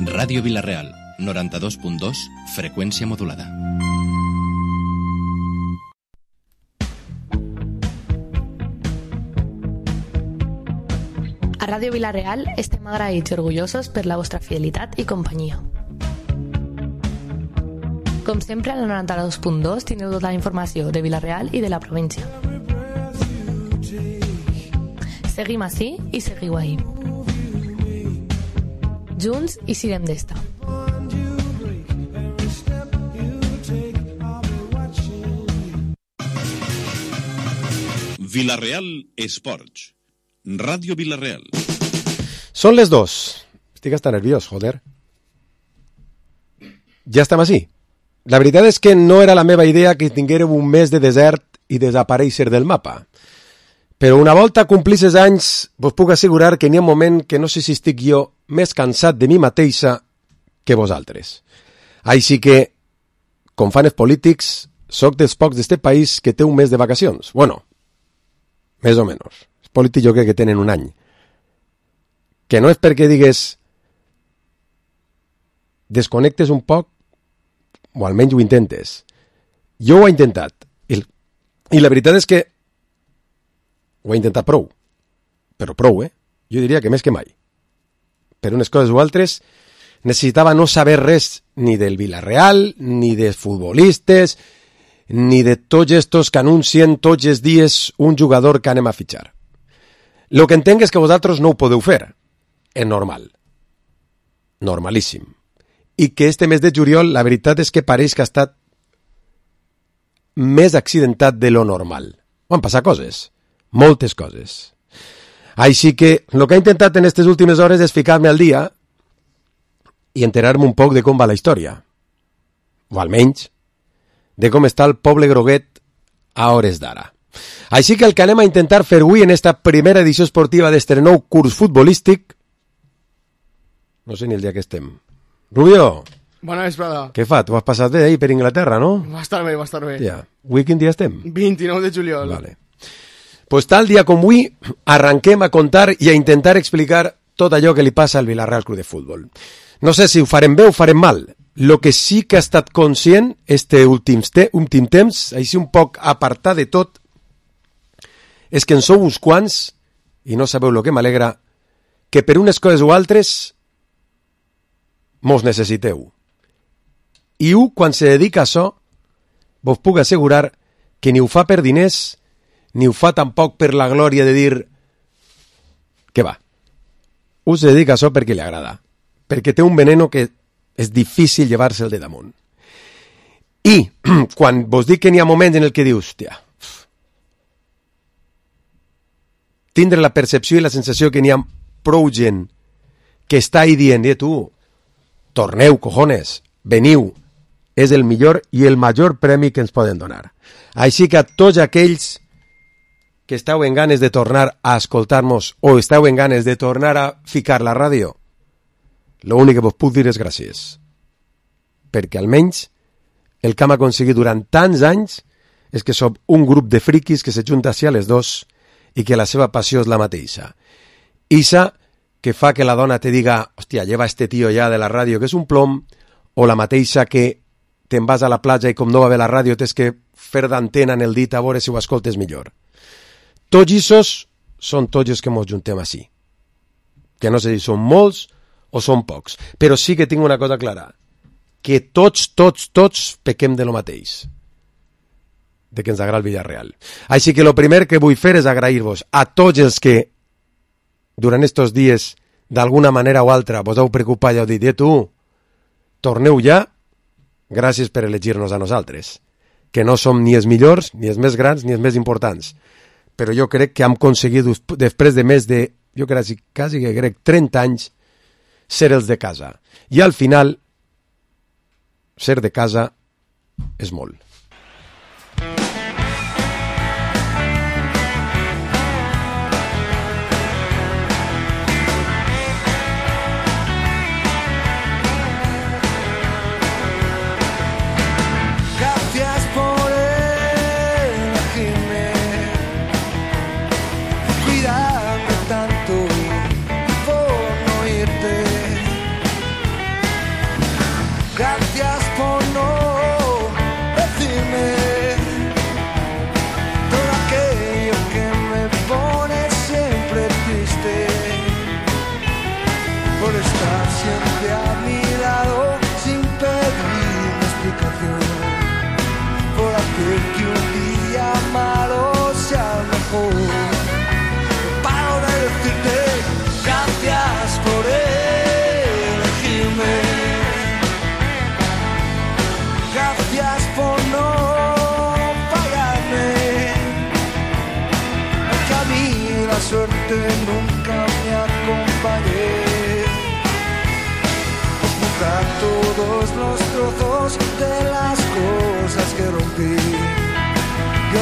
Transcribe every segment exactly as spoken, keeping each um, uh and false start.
Ràdio Vila-real, noranta-dos punt dos, freqüència modulada. A Ràdio Vila-real estem agraïts i orgullosos per la vostra fidelitat i companyia. Com sempre, a la noranta-dos punt dos teniu tota la informació de Vila-real i de la província. Seguim ací i seguiu ahí. Junts i sirem d'esta. Vila-real Esports. Ràdio Vila-real. Són les dos. Estic hasta nerviós, joder. Ja estem així. La veritat és que no era la meva idea que tinguéreu un mes de desert i desaparèixer del mapa. Però una volta complisses anys, vos puc assegurar que n'hi ha un moment que no sé si estic jo més cansat de mi mateixa que vosaltres. Així que, com fan els polítics, soc dels pocs d'este país que té un mes de vacacions. Bueno, més o menys. Els polítics jo crec que tenen un any. Que no és perquè digues desconnectes un poc, o almenys ho intentes. Jo ho he intentat. I, i la veritat és que ho he intentat prou. Però prou, eh? Jo diria que més que mai. Per unes coses o altres, necessitava no saber res ni del Vila-real, ni dels futbolistes, ni de tots estos que anuncien tots els dies un jugador que anem a fitxar. Lo que entenc és que vosaltres no ho podeu fer. És normal. Normalíssim. I que este mes de juliol, la veritat és que pareix que ha estat més accidentat de lo normal. Van passar coses. Moltes coses. Així que el que he intentat en aquestes últimes hores és ficar-me al dia i enterar-me un poc de com va la història. O almenys, de com està el poble groguet a hores d'ara. Així que el que anem a intentar fer avui en esta primera edició esportiva d'este nou curs futbolístic, no sé ni el dia que estem. Rubio! Bona vesprada. Què fa? Tu has passat bé ahir per Inglaterra, no? Va estar bé, va estar bé. Ja. Avui quin dia estem? vint-i-nou de juliol. Vale. Pues tal dia com avui arranquem a contar i a intentar explicar tot allò que li passa al Vila-real Club de Futbol. No sé si ho farem bé o ho farem mal. Lo que sí que ha estat conscient este últim, te últim temps, així un poc apartat de tot, és que en sou uns quants, i no sabeu lo que m'alegra, que per unes coses o altres mos necessiteu. I u, quan se dedica a això, vos puc assegurar que ni ho fa per diners, ni ho fa tampoc per la glòria de dir que va. Us dedica a això perquè li agrada. Perquè té un veneno que és difícil llevar-se'l de damunt. I quan vos dic que n'hi ha moments en el que dius, hòstia, tindre la percepció i la sensació que n'hi ha prou gent que està ahí dient, eh, tu, torneu, cojones, veniu, és el millor i el major premi que ens poden donar. Així que a tots aquells que esteu en ganes de tornar a escoltar-nos o esteu en ganes de tornar a ficar la ràdio, l'únic que vos puc dir és gràcies. Perquè almenys el que hem aconseguit durant tants anys és que som un grup de friquis que se junta hacia les dos i que la seva passió és la mateixa. Isa que fa que la dona te diga, hòstia, lleva este tio ja de la ràdio que és un plom, o la mateixa que te'n vas a la platja i com no va bé la ràdio tens que fer d'antena en el dit a veure si ho escoltes millor. Tots issos són tots els que mos juntem així. Que no sé si són molts o són pocs. Però sí que tinc una cosa clara. Que tots, tots, tots pequem de lo mateix. De que ens agrada el Villarreal. Així que el primer que vull fer és agrair-vos a tots els que durant estos dies d'alguna manera o altra vos heu preocupat i heu dit, eh tu, torneu ja, gràcies per elegir-nos a nosaltres. Que no som ni els millors, ni els més grans, ni els més importants. Però jo crec que hem aconseguit, després de més de, jo crec, quasi que crec, trenta anys, ser els de casa. I al final, ser de casa és molt.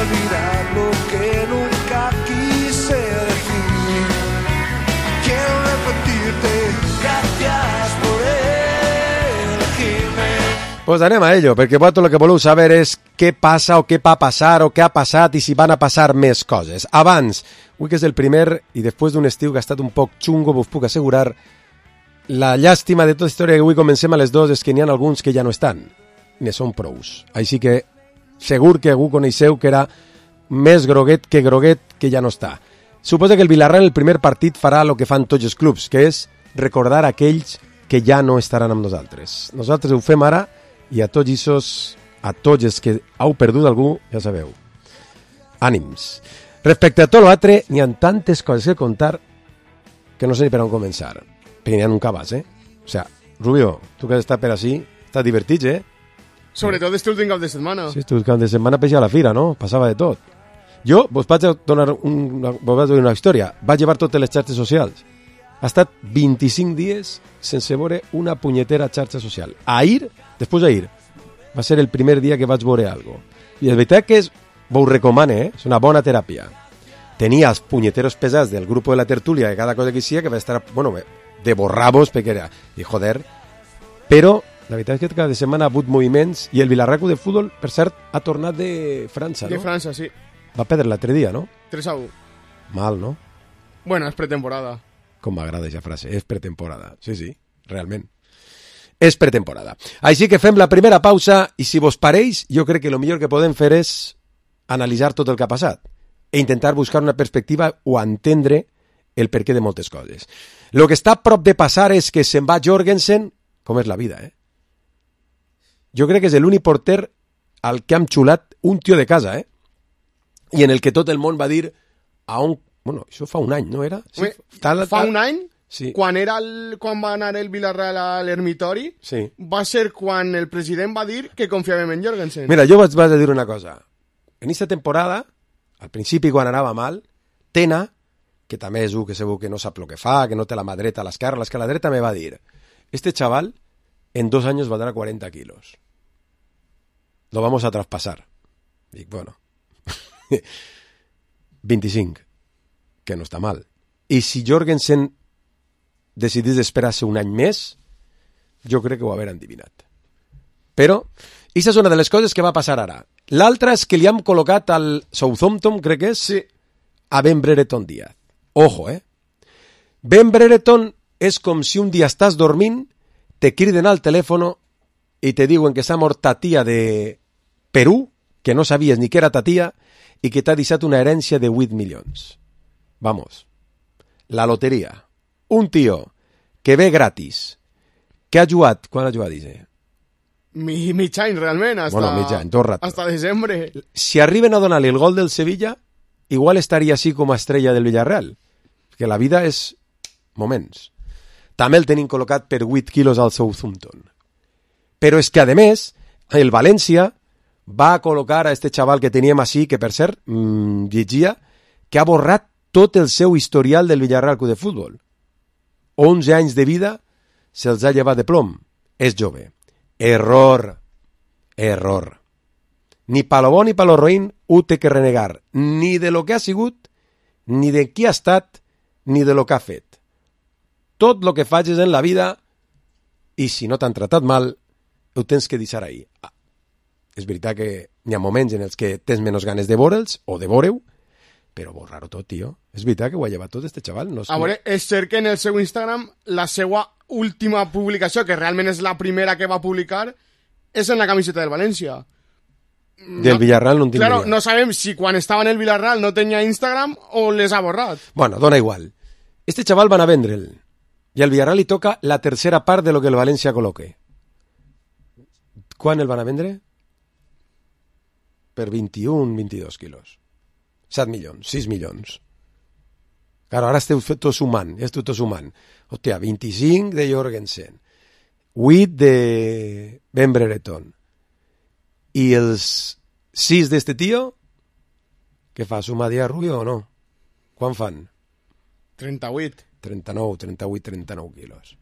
olvidar lo que nunca quise decir. Quiero repetirte, gracias por elegirme. Pues anem a ello, perquè vosaltres el que voleu saber és què passa o què va passar o què ha passat i si van a passar més coses. Abans, avui que és el primer i després d'un estiu que ha estat un poc xungo, vos puc assegurar, la llàstima de tota història que avui comencem a les dues és que n'hi ha alguns que ja no estan, ne són prous. Així que segur que algú coneixeu que era més groguet que groguet que ja no està. Suposa que el Villarreal el primer partit farà el que fan tots els clubs, que és recordar aquells que ja no estaran amb nosaltres. Nosaltres ho fem ara i a tots isos, a tots els que heu perdut algú, ja sabeu. Ànims. Respecte a tot l'altre, n'hi ha tantes coses que contar que no sé ni per on començar. Perquè n'hi ha un cabàs, eh? O sea, Rubio, tu que has estat per així, estàs divertit, eh? Sobretot este últim cap de setmana. Sí, este cap de setmana peixia a la fira, no? Passava de tot. Jo vos vaig donar una, vos vaig donar una història. Vaig llevar totes les xarxes socials. Ha estat vint-i-cinc dies sense veure una punyetera xarxa social. Ahir, després d'ahir, va ser el primer dia que vaig veure alguna cosa. I és veritat que és, vos ho recomane, eh? És una bona teràpia. Tenia els punyeteros pesats del grup de la tertúlia de cada cosa que hiciera, que va estar, bueno, de borrabos, perquè era, i joder, però la veritat és que cada setmana ha hagut moviments i el Villarreal de futbol, per cert, ha tornat de França, no? De França, sí. Va perdre l'altre dia, no? tres a u. Mal, no? Bueno, és pretemporada. Com m'agrada aquesta frase, és pretemporada. Sí, sí, realment. És pretemporada. Així que fem la primera pausa i si vos pareix, jo crec que el millor que podem fer és analitzar tot el que ha passat e intentar buscar una perspectiva o entendre el perquè de moltes coses. El que està a prop de passar és que se'n va Jorgensen, com és la vida, eh? Jo crec que és l'únic porter al que hem xulat un tio de casa, eh? I en el que tot el món va dir a un... Bueno, això fa un any, no era? Sí, tal, fa tal... un any? Sí. Quan, era el, quan va anar el Villarreal a l'Ermitori, sí. Va ser quan el president va dir que confiàvem en Jorgensen. Mira, jo vaig, vaig a dir una cosa. En aquesta temporada, al principi quan anava mal, Tena, que també és un que segur que no sap el que fa, que no té la mà dreta a l'esquerra, l'esquerra dreta, me va dir, este chaval en dos años valdrá cuarenta kilos. Lo vamos a traspasar. Dic, bueno, vint-i-cinc, que no està mal. I si Jorgensen decidís esperar-se un any més, jo crec que ho haver endivinat. Però, aquesta és una de les coses que va passar ara. L'altra és que li hem col·locat al Southampton, crec que és, sí, a Ben Brereton Díaz. Ojo, eh? Ben Brereton és com si un dia estàs dormint, te criden al telèfon i te diuen que s'ha mort ta tia de Perú, que no sabies ni que era ta tia, i que t'ha deixat una herència de vuit milions. Vamos. La loteria. Un tio que ve gratis, que ha jugat... Quan ha jugat, dice? Mi, mig any, realment, hasta, bueno, mig any, tot rato. Hasta desembre. Si arriben a donar-li el gol del Sevilla, igual estaria així com a estrella del Villarreal. Perquè la vida és moments. També el tenim col·locat per vuit quilos al Southampton. Però és que, a més, el València va col·locar a este xaval que teníem així, que per cert, mmm, llegia, que ha borrat tot el seu historial del Villarreal Club de Futbol. onze anys de vida se'ls ha llevat de plom. És jove. Error. Error. Ni pa lo bo ni pa lo roïn ho té que renegar. Ni de lo que ha sigut, ni de qui ha estat, ni de lo que ha fet. Tot lo que facis en la vida, i si no t'han tratat mal, ho tens que deixar ahí. Ah, és veritat que n'hi ha moments en els que tens menys ganes de veure'ls, o de veure-ho, però borrar-ho tot, tio. És veritat que ho ha llevat tot este xaval. No és a veure, és cert que en el seu Instagram la seva última publicació, que realment és la primera que va publicar, és en la camiseta del València. Del no, Villarreal no en tindria. Claro, no sabem si quan estava en el Villarreal no tenia Instagram o les ha borrat. Bueno, dona igual. Este xaval van a vendre'l i al Villarreal li toca la tercera part de lo que el València col·loque. Quan el van a vendre? Per vint-i-un, vint-i-dos quilos. set milions, sis milions. Claro, ara esteu tot sumant, esteu tot sumant. Hòstia, vint-i-cinc de Jorgensen, vuit de Ben Brereton, i els sis d'este tio, què fa, suma dia Rubio o no? Quan fan? trenta-vuit. trenta-nou, trenta-vuit, trenta-nou quilos.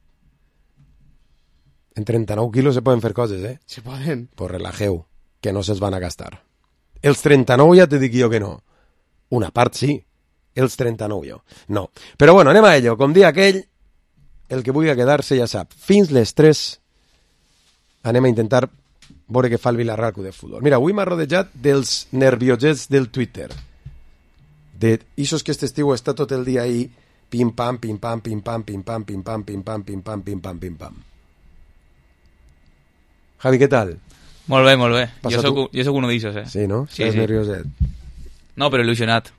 En trenta-nou quilos se poden fer coses, eh? Se poden. Pues relajeu, que no se'ls van a gastar. Els trenta-nou ja te dic jo que no. Una part sí, els trenta-nou jo. No. Però bueno, anem a ello. Com dia aquell, el que vulgui quedar-se ja sap. Fins les tres anem a intentar veure què fa el Vilarreal Club de Futbol. Mira, avui m'ha rodejat dels nerviosets del Twitter. De isos que este estiu està tot el dia ahí pim-pam, pim-pam, pim-pam, pim-pam, pim-pam, pim-pam, pim-pam, pim-pam, pim-pam. Javi, què tal? Molt bé, molt bé. Passa Jo soc, tu? jo soc uno d'ells, eh? Sí, no? Sí, Estàs sí. nervioset. No, però il·lusionat.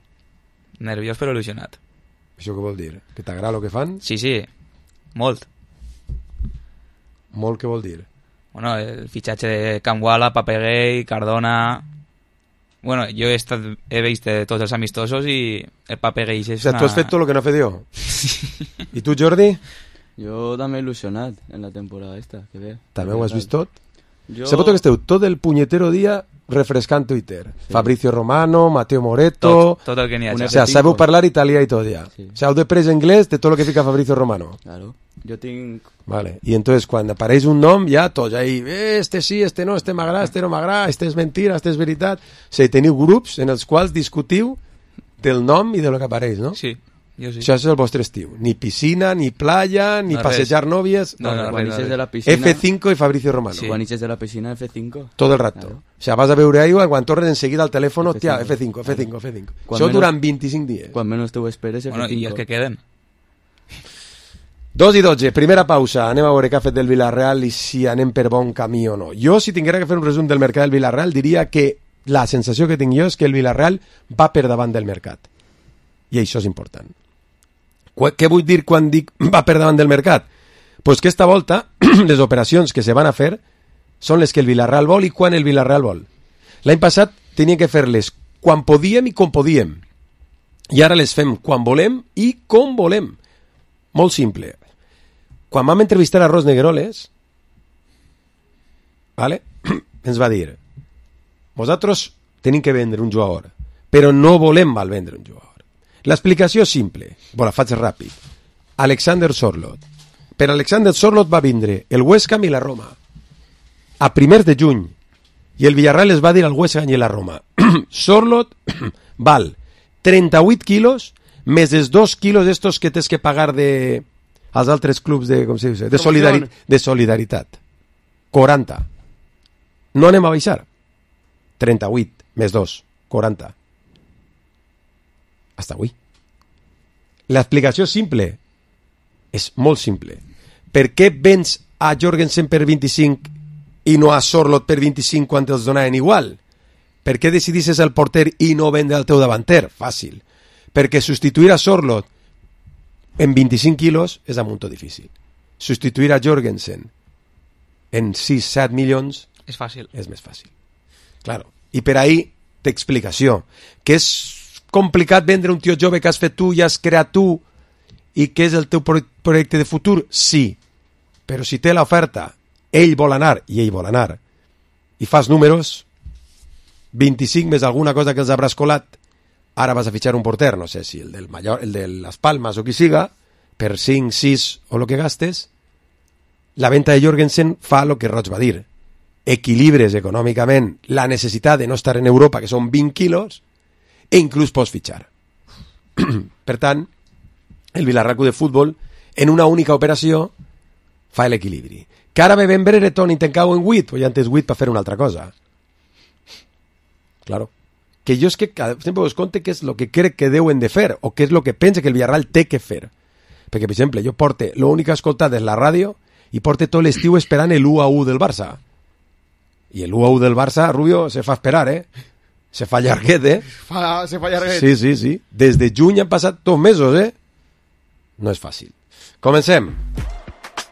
Nerviós, però il·lusionat. Això què vol dir? Que t'agrada el que fan? Sí, sí, molt. Molt què vol dir? Bueno, el fitxatge de Camguala, Papeguei, Cardona... Bueno, jo he, estat, he vist tots els amistosos i el Papeguei és O sigui, una... tu has fet tot el que no he fet jo. I tu, Jordi? Jo també il·lusionat en la temporada esta, que ve. També ho has vist tot? Jo... Se pot que esteu tot el punyetero dia refrescant Twitter. Sí. Fabrizio Romano, Mateo Moreto... Tot, tot el que n'hi ha. Un O sea, sabeu parlar italià i tot ja. Sí. O sea, heu després anglès de tot el que fica Fabrizio Romano. Claro. Jo tinc... Vale. Y entonces cuando apareix un nom, ja tots ahí, eh, este sí, este no, este m'agrada, este no m'agrada, este és mentira, este és veritat. O sigui, teniu grups en els quals discutiu del nom i de lo que apareix, no? Sí, jo sí. Això és el vostre estiu. Ni piscina, ni playa, ni No, passejar nòvies. No, no, Quan res, ixes res. de la piscina... F cinco i Fabrizio Romano. Sí. Quan ixes de la piscina, F cinco. Todo el rato. Claro. O sea, vas a beure aigua, quan tornes enseguida al teléfono, F cinco. hòstia, F cinco, F cinco, F cinco. Quan Això menos- durant vint-i-cinc dies. Quan menys te ho esperes, F cinco. Bueno, i els que queden. Dos i dotze, primera pausa. Anem a veure què ha fet del Villarreal i si anem per bon camí o no. Jo, si tinguera que fer un resum del mercat del Villarreal, diria que la sensació que tinc jo és que el Villarreal va per davant del mercat. I això és important. Qu- Què vull dir quan dic va per davant del mercat? Pues que esta volta les operacions que se van a fer són les que el Villarreal vol i quan el Villarreal vol. L'any passat tenien que fer-les quan podíem i com podíem. I ara les fem quan volem i com volem. Molt simple. Quan vam entrevistar a Ros Negueroles, ¿vale? ens va dir, vosaltres tenim que vendre un jugador, però no volem mal vendre un jugador. L'explicació és simple, bon, la faig ràpid. Alexander Sorloth. Per Alexander Sorloth va vindre el West Ham i la Roma a primers de juny, i el Villarreal es va dir al West Ham i a la Roma. Sorloth val trenta-vuit quilos més els dos quilos estos que tens que pagar de als altres clubs de, com se diu, de, solidari de solidaritat. quaranta. No anem a baixar. trenta-vuit més dos, quaranta. Hasta avui. L'explicació és simple. És molt simple. Per què vens a Jorgensen per vint-i-cinc i no a Sorloth per vint-i-cinc quan te'ls donaven igual? Per què decidisses el porter i no vendre el teu davanter? Fàcil. Perquè substituir a Sorloth en vint-i-cinc quilos és un munt difícil. Substituir a Jorgensen en sis set milions És fàcil. és més fàcil. Claro. I per ahí té explicació. Que és complicat vendre un tio jove que has fet tu i has creat tu i que és el teu pro projecte de futur? Sí. Però si té l'oferta, ell vol anar i ell vol anar i fas números, vint-i-cinc més alguna cosa que els hauràs colat, ara vas a fitxar un porter, no sé si el del Mallor, el de Las Palmas o qui siga, per cinc, sis o lo que gastes, la venta de Jorgensen fa lo que Roig va dir. Equilibres econòmicament la necessitat de no estar en Europa, que són vint quilos, e inclús pots fitxar. Per tant, el Villarreal Club de Futbol, en una única operació, fa l'equilibri. Que ara ve ben Brereton i te'n cau en vuit, o ja en tens vuit per fer una altra cosa. Claro. Que jo és que cada, sempre us conte què és el que crec que deuen de fer, o què és el que pensa que el Villarreal té que fer. Perquè, per exemple, jo porte, l'únic que he escoltat és la ràdio, i porte tot l'estiu esperant l'u a u del Barça. I l'u a u del Barça, Rubio, se fa esperar, eh? Se fa llarguet, eh? Fa, se fa llarguet. Sí, sí, sí. Des de juny han passat dos mesos, eh? No és fàcil. Comencem.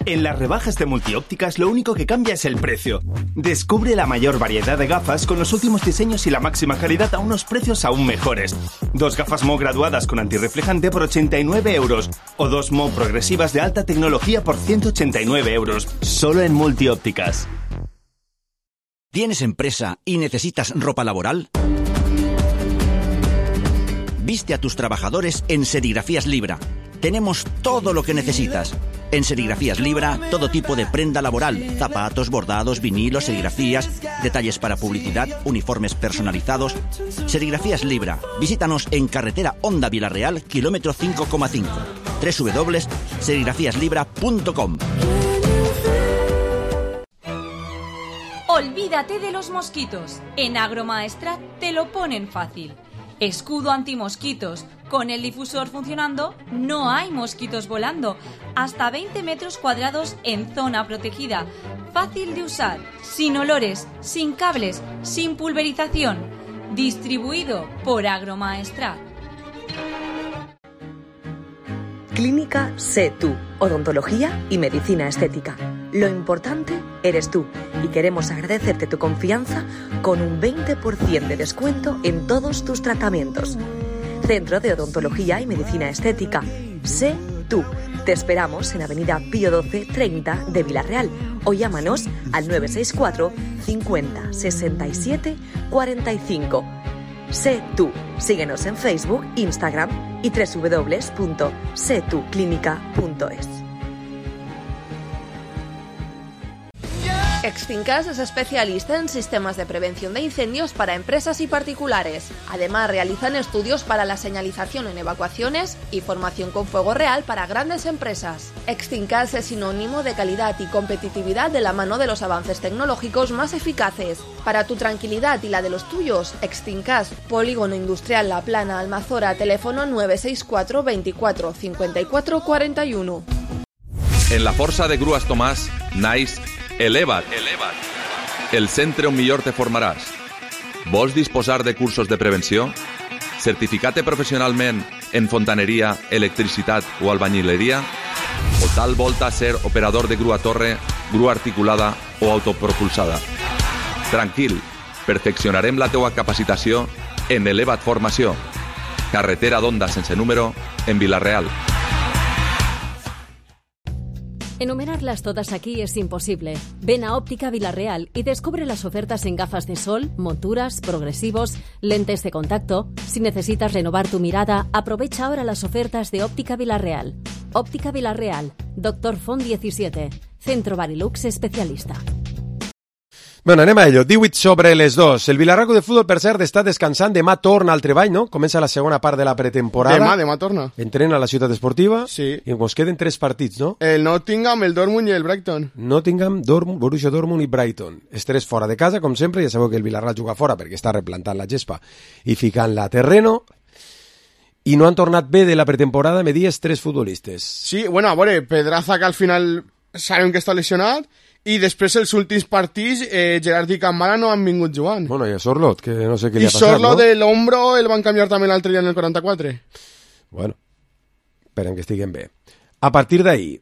En las rebajas de Multiópticas lo único que cambia es el precio. Descubre la mayor variedad de gafas con los últimos diseños y la máxima calidad a unos precios aún mejores. Dos gafas M O graduadas con antirreflejante por ochenta y nueve euros o dos M O progresivas de alta tecnología por ciento ochenta y nueve euros. Solo en Multiópticas. ¿Tienes empresa y necesitas ropa laboral? Viste a tus trabajadores en Serigrafías Libra. Tenemos todo lo que necesitas. En Serigrafías Libra, todo tipo de prenda laboral, zapatos, bordados, vinilos, serigrafías, detalles para publicidad, uniformes personalizados. Serigrafías Libra, visítanos en carretera Honda Vilarreal, kilómetro cinco coma cinco. doble u doble u doble u punto serigrafías libra punto com. Olvídate de los mosquitos. En Agromaestrat te lo ponen fácil. Escudo antimosquitos. Con el difusor funcionando, no hay mosquitos volando. Hasta veinte metros cuadrados en zona protegida. Fácil de usar, sin olores, sin cables, sin pulverización. Distribuido por Agromaestrat. Clínica Sé Tú, odontología y medicina estética. Lo importante eres tú y queremos agradecerte tu confianza con un veinte por ciento de descuento en todos tus tratamientos. Centro de Odontología y Medicina Estética. Sé Tú. Te esperamos en Avenida Pío doce treinta de Vilarreal o llámanos al nueve seis cuatro cincuenta sesenta y siete cuarenta y cinco. Sé Tú. Síguenos en Facebook, Instagram y doble u doble u doble u punto sé tú clínica punto es. Exfincas es especialista en sistemas de prevención de incendios para empresas y particulares. Además, realizan estudios para la señalización en evacuaciones y formación con fuego real para grandes empresas. Exfincas es sinónimo de calidad y competitividad de la mano de los avances tecnológicos más eficaces. Para tu tranquilidad y la de los tuyos, Exfincas, Polígono Industrial La Plana, Almazora, teléfono nueve seis cuatro veinticuatro cincuenta y cuatro cuarenta y uno. En la Força de Grues Tomàs naix Eleva't, Eleva't, el centre on millor te formaràs. Vols disposar de cursos de prevenció? Certificar-te professionalment en fontaneria, electricitat o albañileria? O tal volta ser operador de grua torre, grua articulada o autopropulsada? Tranquil, perfeccionarem la teua capacitació en Eleva't Formació. Carretera d'Onda sense número, en Vilarreal. Enumerarlas todas aquí es imposible. Ven a Óptica Vilarreal y descubre las ofertas en gafas de sol, monturas, progresivos, lentes de contacto. Si necesitas renovar tu mirada, aprovecha ahora las ofertas de Óptica Vilarreal. Óptica Vilarreal, Doctor Font diecisiete, Centro Barilux especialista. Bueno, anem a ello. divuit sobre les dos. El Vilarreal de Futbol, per cert, està descansant. Demà torna al treball, no? Comença la segona part de la pretemporada. Demà, demà torna. Entrena a la ciutat esportiva. Sí. I ens queden tres partits, no? El Nottingham, el Dortmund i el Brighton. Nottingham, Dortmund, Borussia Dortmund i Brighton. Els tres fora de casa, com sempre. Ja sabeu que el Vilarreal juga fora perquè està replantant la gespa i ficant-la a terreno. I no han tornat bé de la pretemporada, me dies, tres futbolistes. Sí, bueno, a veure, Pedraza, que al final sabem que està lesionat, i després els últims partits eh, Gerard i Camara no han vingut jugant. Bueno, i a Sorlot, que no sé què li ha passat, no? I Sorlot de l'ombro el van canviar també l'altre dia en el quaranta-quatre. Bueno, esperem que estiguen bé. A partir d'ahir,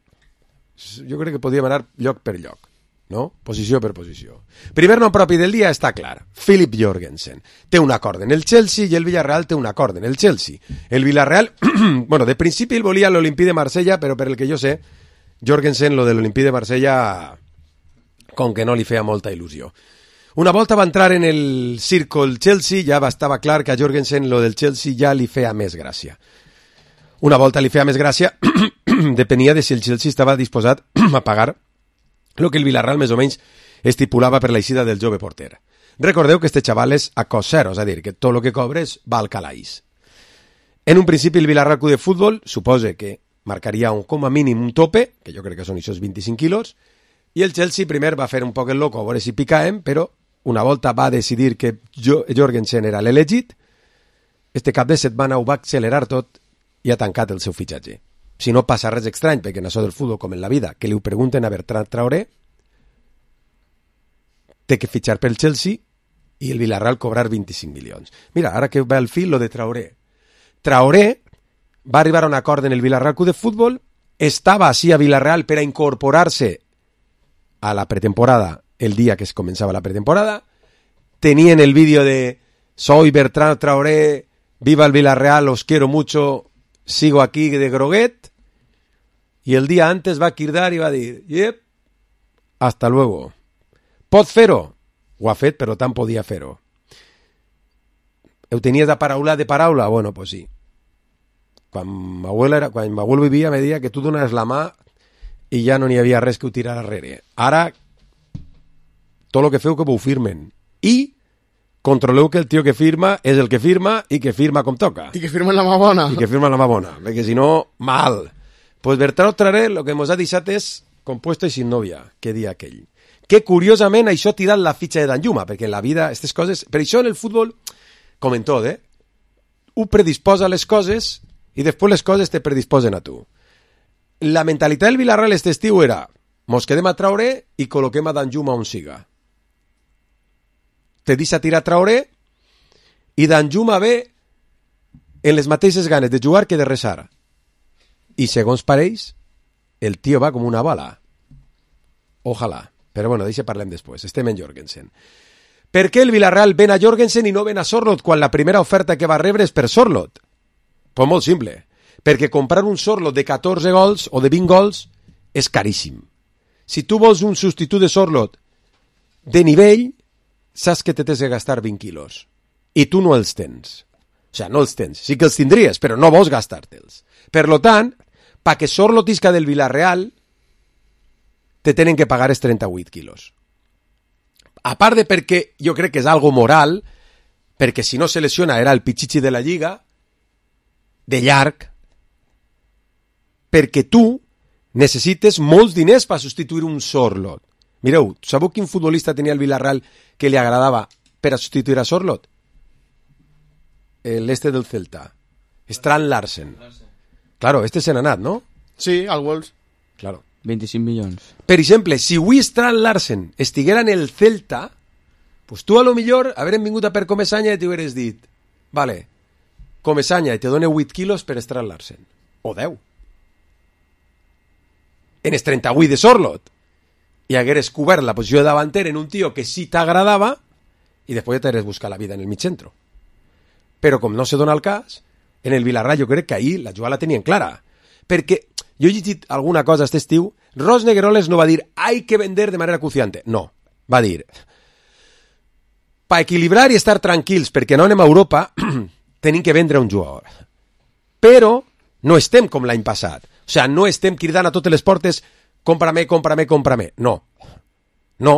jo crec que podríem anar lloc per lloc, no? Posició per posició. Primer nom propi del dia està clar. Philip Jorgensen. Té un acord en el Chelsea i el Villarreal té un acord en el Chelsea. El Villarreal, bueno, de principi el volia l'Olimpí de Marsella, però per el que jo sé, Jorgensen, lo de l'Olimpí de Marsella, com que no li feia molta il·lusió. Una volta va entrar en el círculo Chelsea, ja estava clar que a Jorgensen lo del Chelsea ja li feia més gràcia. Una volta li feia més gràcia, depenia de si el Chelsea estava disposat a pagar el que el Villarreal més o menys estipulava per l'eixida del jove porter. Recordeu que este xaval és a cost zero, és a dir, que tot el que cobres va al calaix. En un principi el Villarreal Club de Futbol supose que marcaria un, com a mínim un tope, que jo crec que són aquests vint-i-cinc quilos, i el Chelsea primer va fer un poc el loco a veure si picaem, però una volta va decidir que Jorgensen era l'elegit. Este cap de setmana ho va accelerar tot i ha tancat el seu fitxatge. Si no passa res estrany, perquè en això del futbol com en la vida, que li ho pregunten a Bertrand Traoré, té que fitxar pel Chelsea i el Villarreal cobrar vint-i-cinc milions. Mira, ara que va al fil lo de Traoré. Traoré va arribar a un acord en el Villarreal Club de Futbol, estava així a Villarreal per a incorporar-se a la pretemporada el día que se comenzaba la pretemporada. Tenían el vídeo de soy Bertrand Traoré, viva el Villarreal, os quiero mucho, sigo aquí de groguet. Y el día antes va a quirdar y va a decir, yep, hasta luego. Pot fer-ho? Ho ha fet, però tant podia fer-ho. Ho tenies de paraula de paraula? Bueno, pues sí. Quan m'abuelo, era, quan m'abuelo vivia me deia que tu dones la mà i ja no n'hi havia res que ho tirar darrere. Ara, tot el que feu que ho firmen. I controleu que el tio que firma és el que firma i que firma com toca. I que firma la mà bona. I que firma la mà bona, perquè si no, mal. Pues Bertrand Traoré lo que ens ha deixat és compuesto i sin novia, que dia aquell. Que curiosament això ha tirat la fitxa de Danjuma, perquè en la vida, aquestes coses... Per això en el futbol, com en tot, eh? Un predisposa les coses i després les coses te predisposen a tu. La mentalitat del Villarreal este estiu era mos quedem a Traoré i col·loquem a Danjuma on siga. Te deixa tirar Traoré i Danjuma ve en les mateixes ganes de jugar que de resar. I segons pareix, el tio va com una bala. Ojalà. Però bueno, d'això parlem després. Estem en Jorgensen. Per què el Villarreal ven a Jorgensen i no ven a Sorloth quan la primera oferta que va rebre és per Sorloth? Pues molt simple. Perquè comprar un Sorloth de catorze gols o de vint gols és caríssim. Si tu vols un substitut de Sorloth de nivell, saps que te tens de gastar vint quilos. I tu no els tens. O sigui, no els tens. Sí que els tindries, però no vols gastar-te'ls. Per lo tant, pa que Sorloth isca del Villarreal, te tenen que pagar els trenta-vuit quilos. A part de perquè jo crec que és algo moral, perquè si no se lesiona era el pitxichi de la Lliga, de llarg, perquè tu necessites molts diners per substituir un Sorloth. Mireu, sabeu quin futbolista tenia el Villarreal que li agradava per a substituir a Sorloth? L'este del Celta. Strand Larsen. Claro, este se n'ha anat, no? Sí, al Wolves. Claro. vint-i-cinc milions. Per exemple, si avui Strand Larsen estiguera en el Celta, pues tu a lo millor haurem vingut a per Comesaña i t'hi hauries dit, vale, Comesaña i te dona vuit quilos per Strand Larsen. O deu. En els trenta-vuit de Sorloth. I hagueres cobert la posició de davanter en un tio que sí t'agradava i després ja t'hagueres buscat la vida en el mig centro. Però com no se dona el cas, en el Villarreal jo crec que ahir la jugada la tenien clara. Perquè jo he llegit alguna cosa aquest estiu, Ros Negueroles no va dir hay que vender de manera acuciante. No, va dir para equilibrar i estar tranquils perquè no anem a Europa tenim que vendre un jugador. Però no estem com l'any passat. O sigui, no estem cridant a totes les portes compra-me, compra-me, compra-me. No. No.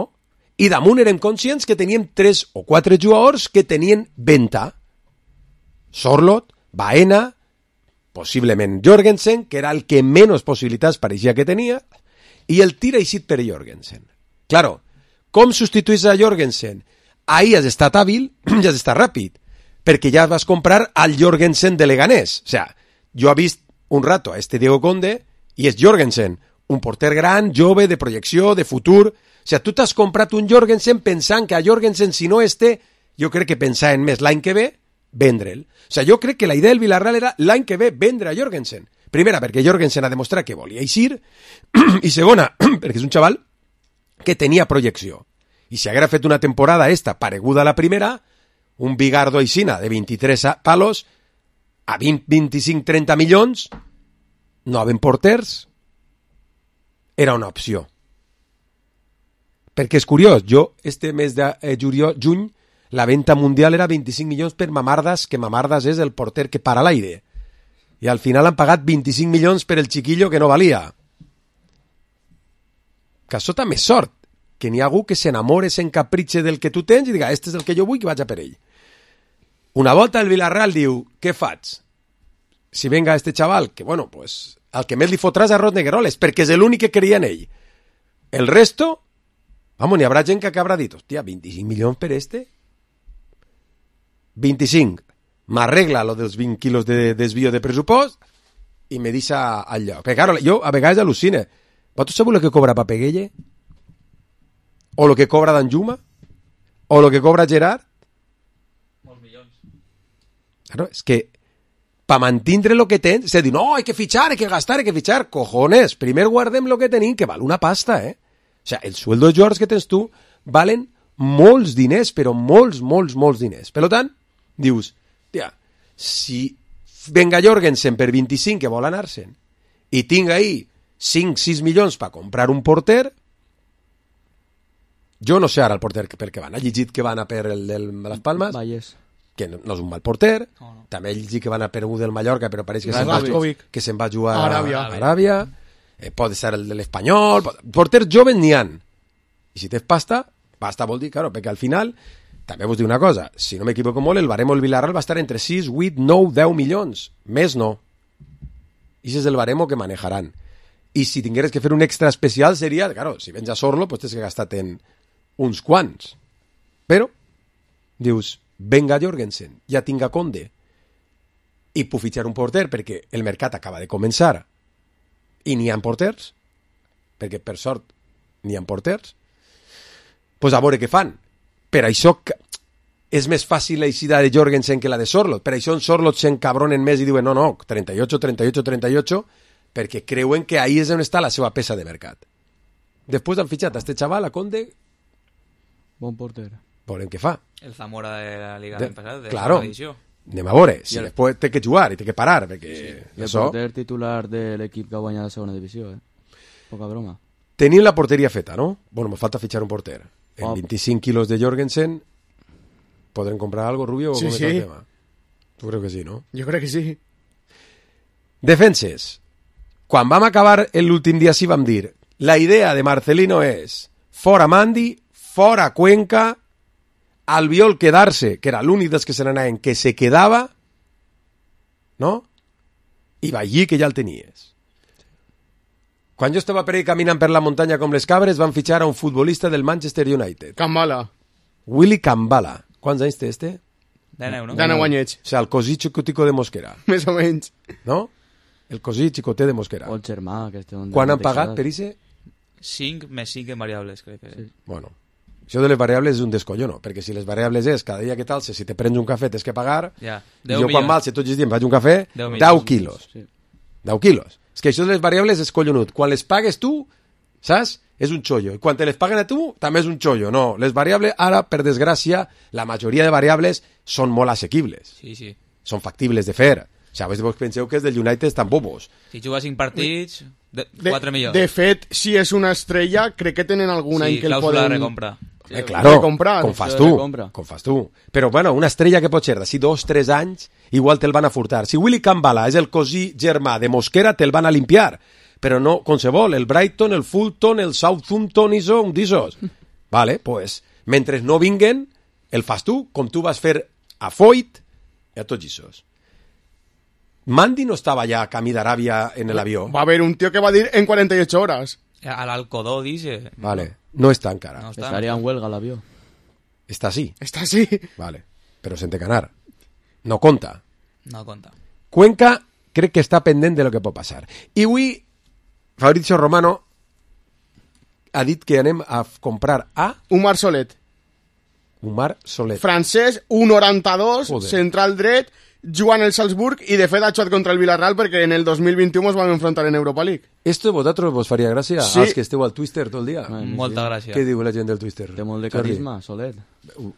I damunt érem conscients que teníem tres o quatre jugadors que tenien venta. Sorloth, Baena, possiblement Jorgensen, que era el que menys possibilitats pareixia que tenia, i el tira eixit per Jorgensen. Claro, com substituís a Jorgensen? Ahí has estat hàbil i has estat ràpid, perquè ja vas comprar al Jorgensen de Leganés. O sea, jo he vist un rato a este Diego Conde i és Jorgensen, un porter gran, jove, de projecció, de futur. O sea, tu t'has comprat un Jorgensen pensant que a Jorgensen, si no este, jo crec que pensaven més l'any que ve, vendre'l. O sigui, jo crec que la idea del Villarreal era l'any que ve vendre a Jorgensen. Primera, perquè Jorgensen ha demostrat que volia eixir, i segona, perquè és un xaval que tenia projecció. I si haguera fet una temporada esta pareguda a la primera, un Bigardo Aixina de vint-i-tres palos a vint, vint-i-cinc, trenta milions, no havent porters, era una opció. Perquè és curiós, jo este mes de eh, juliol, juny, la venta mundial era vint-i-cinc milions per Mamardas, que Mamardas és el porter que para l'aire. I al final han pagat vint-i-cinc milions per el chiquillo que no valia. Que això també és sort, que n'hi ha algú que s'enamore, s'encapritxe del que tu tens i diga, este és el que jo vull, que vaig a per ell. Una volta el Villarreal diu, què faig? Si venga este chaval, que bueno, pues, al que més li fotràs a Ros Negueroles, perquè és l'únic que creia en ell. El resto, vamos, n'hi haurà gent que haurà dit, hòstia, vint-i-cinc milions per este? vint-i-cinc, m'arregla lo dels vint quilos de desvio de pressupost i me deixa al lloc. Perquè, claro, jo a vegades al·lucine. Vosaltres sabeu el que cobra Papeguelle? O el que cobra Danjuma? O el que cobra Gerard? Molts milions. Claro, és que pa mantindre lo que tens, se diu, no, hay que fichar, hay que gastar, hay que fichar. Cojones, primer guardem lo que tenim, que val una pasta, eh? O sea, el sueldo de jugadors que tens tu valen molts diners, però molts, molts, molts diners. Per tant, dius, tia, si venga Jorgensen per vint-i-cinc que vol anar-se'n i tinc ahí cinc sis milions per comprar un porter, jo no sé ara el porter per què van. Ha llegit que van a per el de les Palmes, Valles, que no, no és un mal porter, no, no. També he llegit que van a per un del Mallorca, però pareix que se'n va, va, que se'n va jugar a Aràbia. a Aràbia. eh, pot ser el de l'Espanyol, porters joves n'hi han. I si tens pasta, pasta vol dir, claro, perquè al final, també vos dic una cosa, si no m'equivoco molt, el baremo del Villarreal va estar entre sis, vuit, nou, deu milions. Més no. I ese és el baremo que manejaran. I si tingueres que fer un extra especial seria, claro, si vens a Sorlo, pues tens que gastar en uns quants. Però, dius, venga Jorgensen, ja tinga Conde, i puc fitxar un porter perquè el mercat acaba de començar i n'hi ha porters, perquè per sort n'hi ha porters, pues a veure què fan. Per això és més fàcil la eixida de Jorgensen que la de Sorlot. Per això en Sorlot s'encabronen més i diuen no, no, trenta-ocho, trenta-ocho, trenta-ocho, perquè creuen que ahí és on està la seva peça de mercat. Després han fitxat a este xaval, a Conde. Bon porter. Veurem què fa. El Zamora de la Liga de, del passat, de claro, la edició. Anem a veure, si el... després té que jugar i té que parar, perquè sí. això... El porter titular de l'equip que ha guanyat la segona divisió, eh? Poca broma. Tenim la porteria feta, no? Bueno, me falta fitxar un porter. En oh. veinticinc kilos de Jorgensen, ¿podrem comprar algo, Rubio? Sí, o sí. El tema? Tu creo que sí, no? Jo crec que sí. Defenses. Quan vam acabar l'últim dia sí vam dir la idea de Marcelino és fora Mandi, fora Cuenca, Albiol quedar-se, que era l'únic dels que se n'anaven, que se quedava, no? I Ballí, que ja el tenies. Quan jo estava per ahí caminant per la muntanya com les cabres, van fitxar a un futbolista del Manchester United. Kambala. Willy Kambala. Quants anys té este? Deu, no? Deu anyets. O sigui, el cosí xicutico de Mosquera. Més o menys. No? El cosí xicoté de Mosquera. O el germà, que este... Quan han pagat per ixe? cinc més cinc en variables, crec que... Sí. Bueno, això de les variables és un descollono, perquè si les variables és cada dia que tal, si te prens un cafè tens que pagar, ja. I jo quan mal, si tots els dies em faig un cafè, deu quilos. Sí. deu quilos. És que això de les variables és collonut. Quan les pagues tu, saps? És un xollo. I quan te les paguen a tu, també és un xollo. No, les variables, ara, per desgràcia, la majoria de variables són molt assequibles. Sí, sí. Són factibles de fer. O sigui, vos penseu que els del United estan bobos. Si jugues cinc partits, de, quatre de, milions. De fet, si és una estrella, crec que tenen algun sí, any que el Sí, poden... clàusula de recompra. Eh, claro, recomprar. com fas tu, com fas tu. Però, bueno, una estrella que pot ser d'ací dos, tres anys, igual te'l van a furtar. Si Willy Kambala és el cosí germà de Mosquera, te'l van a limpiar. Però no, qualsevol, el Brighton, el Fulton, el Southampton, i són d'issos. Vale, pues, mentre no vinguen, el fas tu, com tu vas fer a Foyt i a tots issos. Mandi no estava ja a camí d'Aràbia en l'avió. Va haver un tío que va dir en quaranta-ocho horas. A l'Alcodó, dice. Vale, no està encara. No està. Estaria en huelga l'avió. Està así. Está así. Vale, però sense canar. No conta. No conta. Cuenca crec que està pendent de lo que pot passar. I avui Fabrizio Romano ha dit que anem a comprar a... Umar Solet. Umar Solet. Francès, un noranta-dos, Joder. central dret, jugant el Salzburg i de fet ha jugat contra el Villarreal perquè en el dos mil vint-i-u ens vam enfrontar en Europa League. Esto a vosaltres vos faria gràcia? Sí. Als que esteu al Twister tot el dia? Ai, Molta sí. gràcia. Què diu la gent del Twister? Té molt de Jordi? carisma, Solet.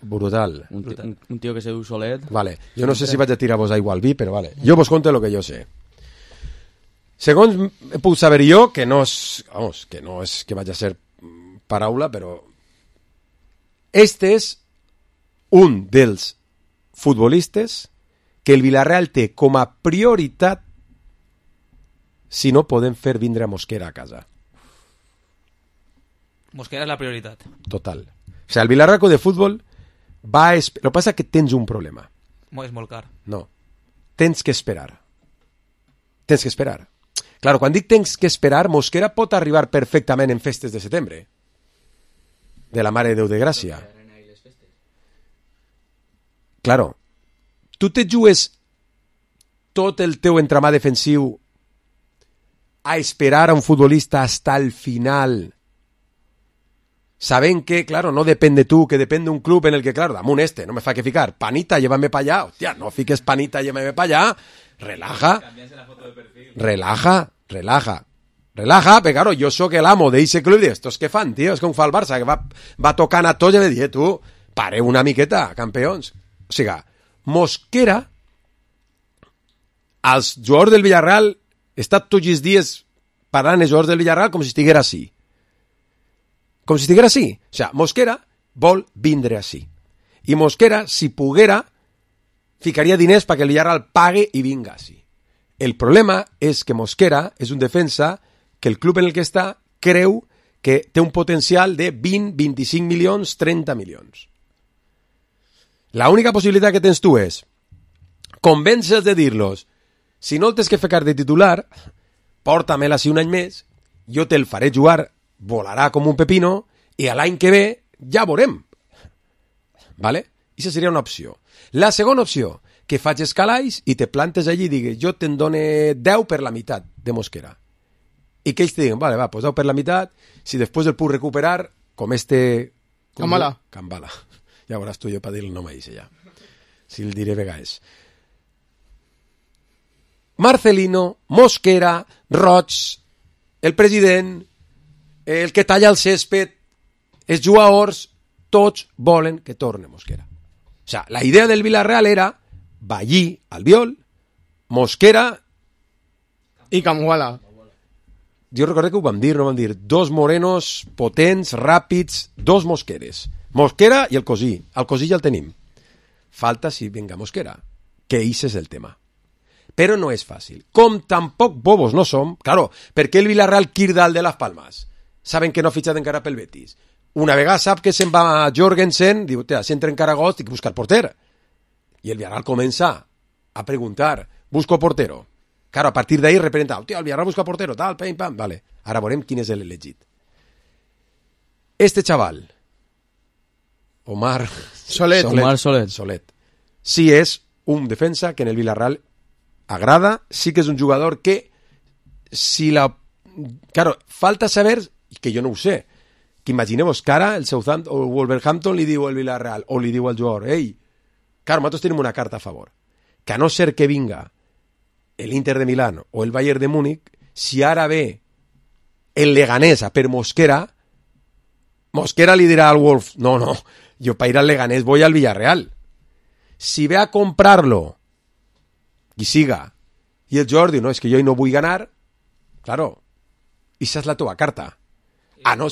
Brutal. Un, tio, un, un tio que se diu Solet. Vale, jo no sé si vaig a tirar-vos aigua al vi, però vale. Jo vos conto lo que jo sé. Segons puc saber jo, que no és, vamos, que no és que vaig a ser paraula, però este és un dels futbolistes que el Villarreal té com a prioritat si no podem fer vindre a Mosquera a casa. Mosquera és la prioritat. Total. O sigui, el Villarreal de futbol va a... Esp... Lo que passa és que tens un problema. És molt car. No. Tens que esperar. Tens que esperar. Claro, quan dic tens que esperar, Mosquera pot arribar perfectament en festes de setembre. De la Mare de Déu de Gràcia. Claro. Tu te jugues tot el teu entramà defensiu a esperar a un futbolista hasta el final, sabent que, claro, no depèn de tu, que depèn d'un club en el que, claro, damunt este, no me fa que ficar, Panita, llévame pa allá, hostia, no fiques Panita, llévame pa allá, relaja, relaja, relaja, relaja, però claro, jo sóc el amo d'eixe club i estos que fan, tio, és com fa el Barça, que va, va tocant a tots i me diu, tu, pareu una miqueta, campions. O sigui, Mosquera, els jugadors del Villarreal, està tots els dies parlant els jugadors del Villarreal com si estiguera així. Com si estiguera així. O sigui, Mosquera vol vindre així. I Mosquera, si poguera, ficaria diners perquè el Villarreal pague i vinga així. El problema és que Mosquera és un defensa que el club en el que està creu que té un potencial de vint, vint-i-cinc milions, trenta milions. La única possibilitat que tens tu és convèncer-los de dir-los si no el tens que ficar de titular, porta-me'l així un any més, jo te'l faré jugar, volarà com un pepino, i a l'any que ve ja veurem. Vale? Aquesta seria una opció. La segona opció, que facis calaix i te plantes allí i digues, jo te'n done deu per la meitat de Mosquera. I que ells te diguen, vale, va, pues deu per la meitat, si després el puc recuperar, com este... Com Cambala. Cambala. Ja veuràs tu jo per dir el nom a ese ja. Si el diré vegades. Marcelino, Mosquera, Roig, el president, el que talla el césped, els jugadors, tots volen que torne Mosquera. O sea, la idea del Villarreal era Ballí, Albiol, Mosquera i Camguala. Jo recordo que ho vam dir, no vam dir, dos morenos potents, ràpids, dos Mosqueres. Mosquera i el Cosí. El Cosí ja el tenim. Falta si venga Mosquera, que ese és el tema. Però no és fàcil. Com tampoc bobos no som, claro, perquè el Villarreal Kirdal de Las Palmas saben que no ha fitxat encara pel Betis. Una vegada sap que se'n va Jorgensen, diu, si entra encara Gost, tinc que buscar porter. I el Villarreal comença a preguntar, busco portero. Claro, a partir d'ahí representa, hòstia, el Villarreal busca portero, tal, pam, pam, vale. Ara veurem quin és l'elegit. Este chaval, Omar Solet. Solet, Omar Solet. Solet, sí és un defensa que en el Villarreal agrada, sí que és un jugador que si la... Claro, falta saber, que jo no ho sé, que imagineu-vos que ara el Southampton o el Wolverhampton li diu al Villarreal o li diu al jugador, ei, claro, nosaltres tenim una carta a favor, que a no ser que vinga el Inter de Milán o el Bayern de Múnich, si ara ve el Leganés a per Mosquera, Mosquera li dirà al Wolf, no, no, yo para ir al Leganés voy al Villarreal. Si ve a comprarlo y siga, y el Jordi, no, es que yo no vull ganar, claro, esa és la teva carta. A no,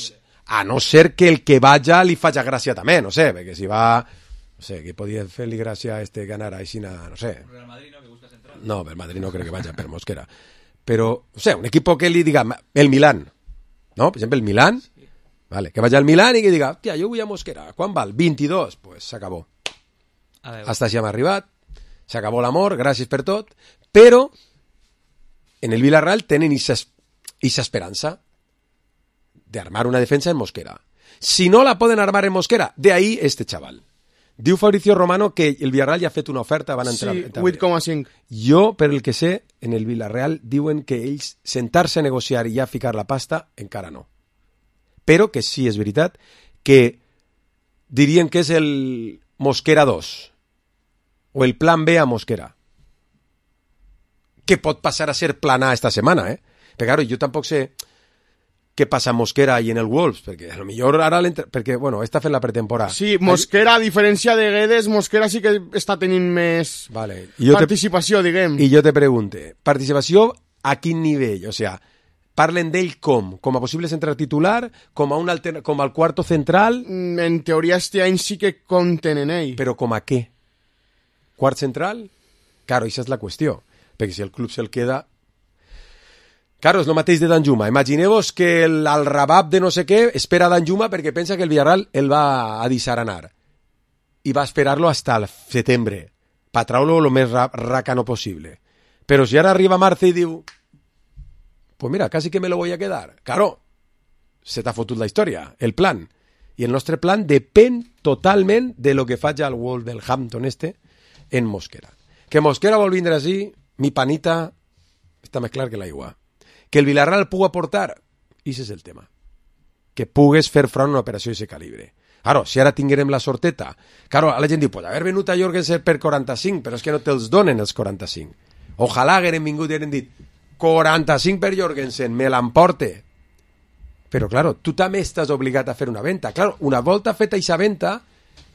a no ser que el que vaya li faci gràcia també, no sé, perquè si va, no sé, que podia fer-li gràcia a este ganar a Isina, no sé. Real Madrid no, que busca central. No, el Madrid no creo que vaya per Mosquera. Pero, o sea, un equipo que li diga, el Milán, ¿no? Por ejemplo, el Milán, sí. Vale, que vaya al Milán y que diga, hòstia, jo vull a Mosquera, ¿cuán val? veintidós, pues s'acabó. Hasta així hem arribat, s'acabó l'amor, gràcies per tot, però en el Villarreal tenen esa esperança de armar una defensa en Mosquera. Si no la poden armar en Mosquera, de ahí este chaval. Diu Fabricio Romano que el Villarreal ja ha fet una oferta, van entrar... Sí, vuit coma cinc. Jo, per el que sé, en el Villarreal diuen que ells sentar-se a negociar i ja ficar la pasta, encara no. Però que sí, és veritat, que dirien que és el Mosquera dos, o el plan B a Mosquera, que pot passar a ser plan A esta setmana, eh? Perquè, claro, jo tampoc sé què passa a Mosquera i en el Wolves, perquè a lo millor ara perquè, bueno, està fent la pretemporada. Sí, Mosquera, a diferència de Guedes, Mosquera sí que està tenint més vale. participació, te... diguem. I jo te pregunte, participació a quin nivell? O sea, parlen d'ell com? Com a possible central titular? Com a un alter... com al quarto central? En teoria este any sí que compten en ell. Però com a què? Quart central? Claro, això és la qüestió. Perquè si el club se'l queda... Claro, és el mateix de Danjuma. Imagineu-vos que el, el Rabab de no sé què espera a Danjuma perquè pensa que el Villarreal el va a deixar anar. I va esperar-lo hasta el setembre, per treure-lo el més racano possible. Però si ara arriba Marce i diu pues mira, casi que me lo voy a quedar. Claro, se t'ha fotut la història, el plan. I el nostre plan depèn totalment de lo que faci el Wolverhampton este en Mosquera. Que Mosquera vol vindre així, mi panita, està més clar que l'aigua. Que el Villarreal pugui aportar, i ese és el tema. Que pugues fer front a una operació d'aquest calibre. Claro, si ara tinguérem la sorteta, claro, la gent diu, pues haver venut a Jorgensen per quaranta-cinc, però és que no te'ls donen els quaranta-cinc. Ojalà hagueren vingut i hagueren dit, quaranta-cinc per Jorgensen, me l'emporte. Però, claro, tu també estàs obligat a fer una venda. Claro, una volta feta aquesta venda,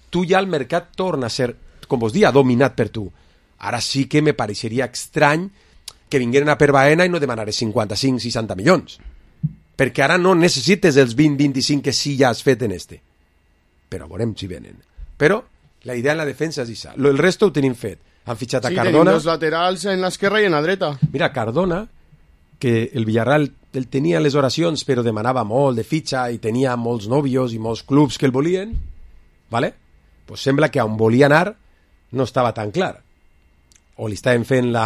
tu ja el mercat torna a ser, com vos dia, dominat per tu. Ara sí que me pareixeria estrany que vingueren a per Baena i no demanares cinquanta-cinc seixanta milions. Perquè ara no necessites els vint vint-i-cinc que sí ja has fet en este. Però veurem si venen. Però la idea en la defensa és això. El resto ho tenim fet. Han fitxat a sí, Cardona. Sí, tenim dos laterals en l'esquerra i en la dreta. Mira, Cardona, que el Villarreal ell tenia les oracions, però demanava molt de fitxa i tenia molts nòvios i molts clubs que el volien, vale? Pues sembla que on volia anar no estava tan clar. O li estaven fent la...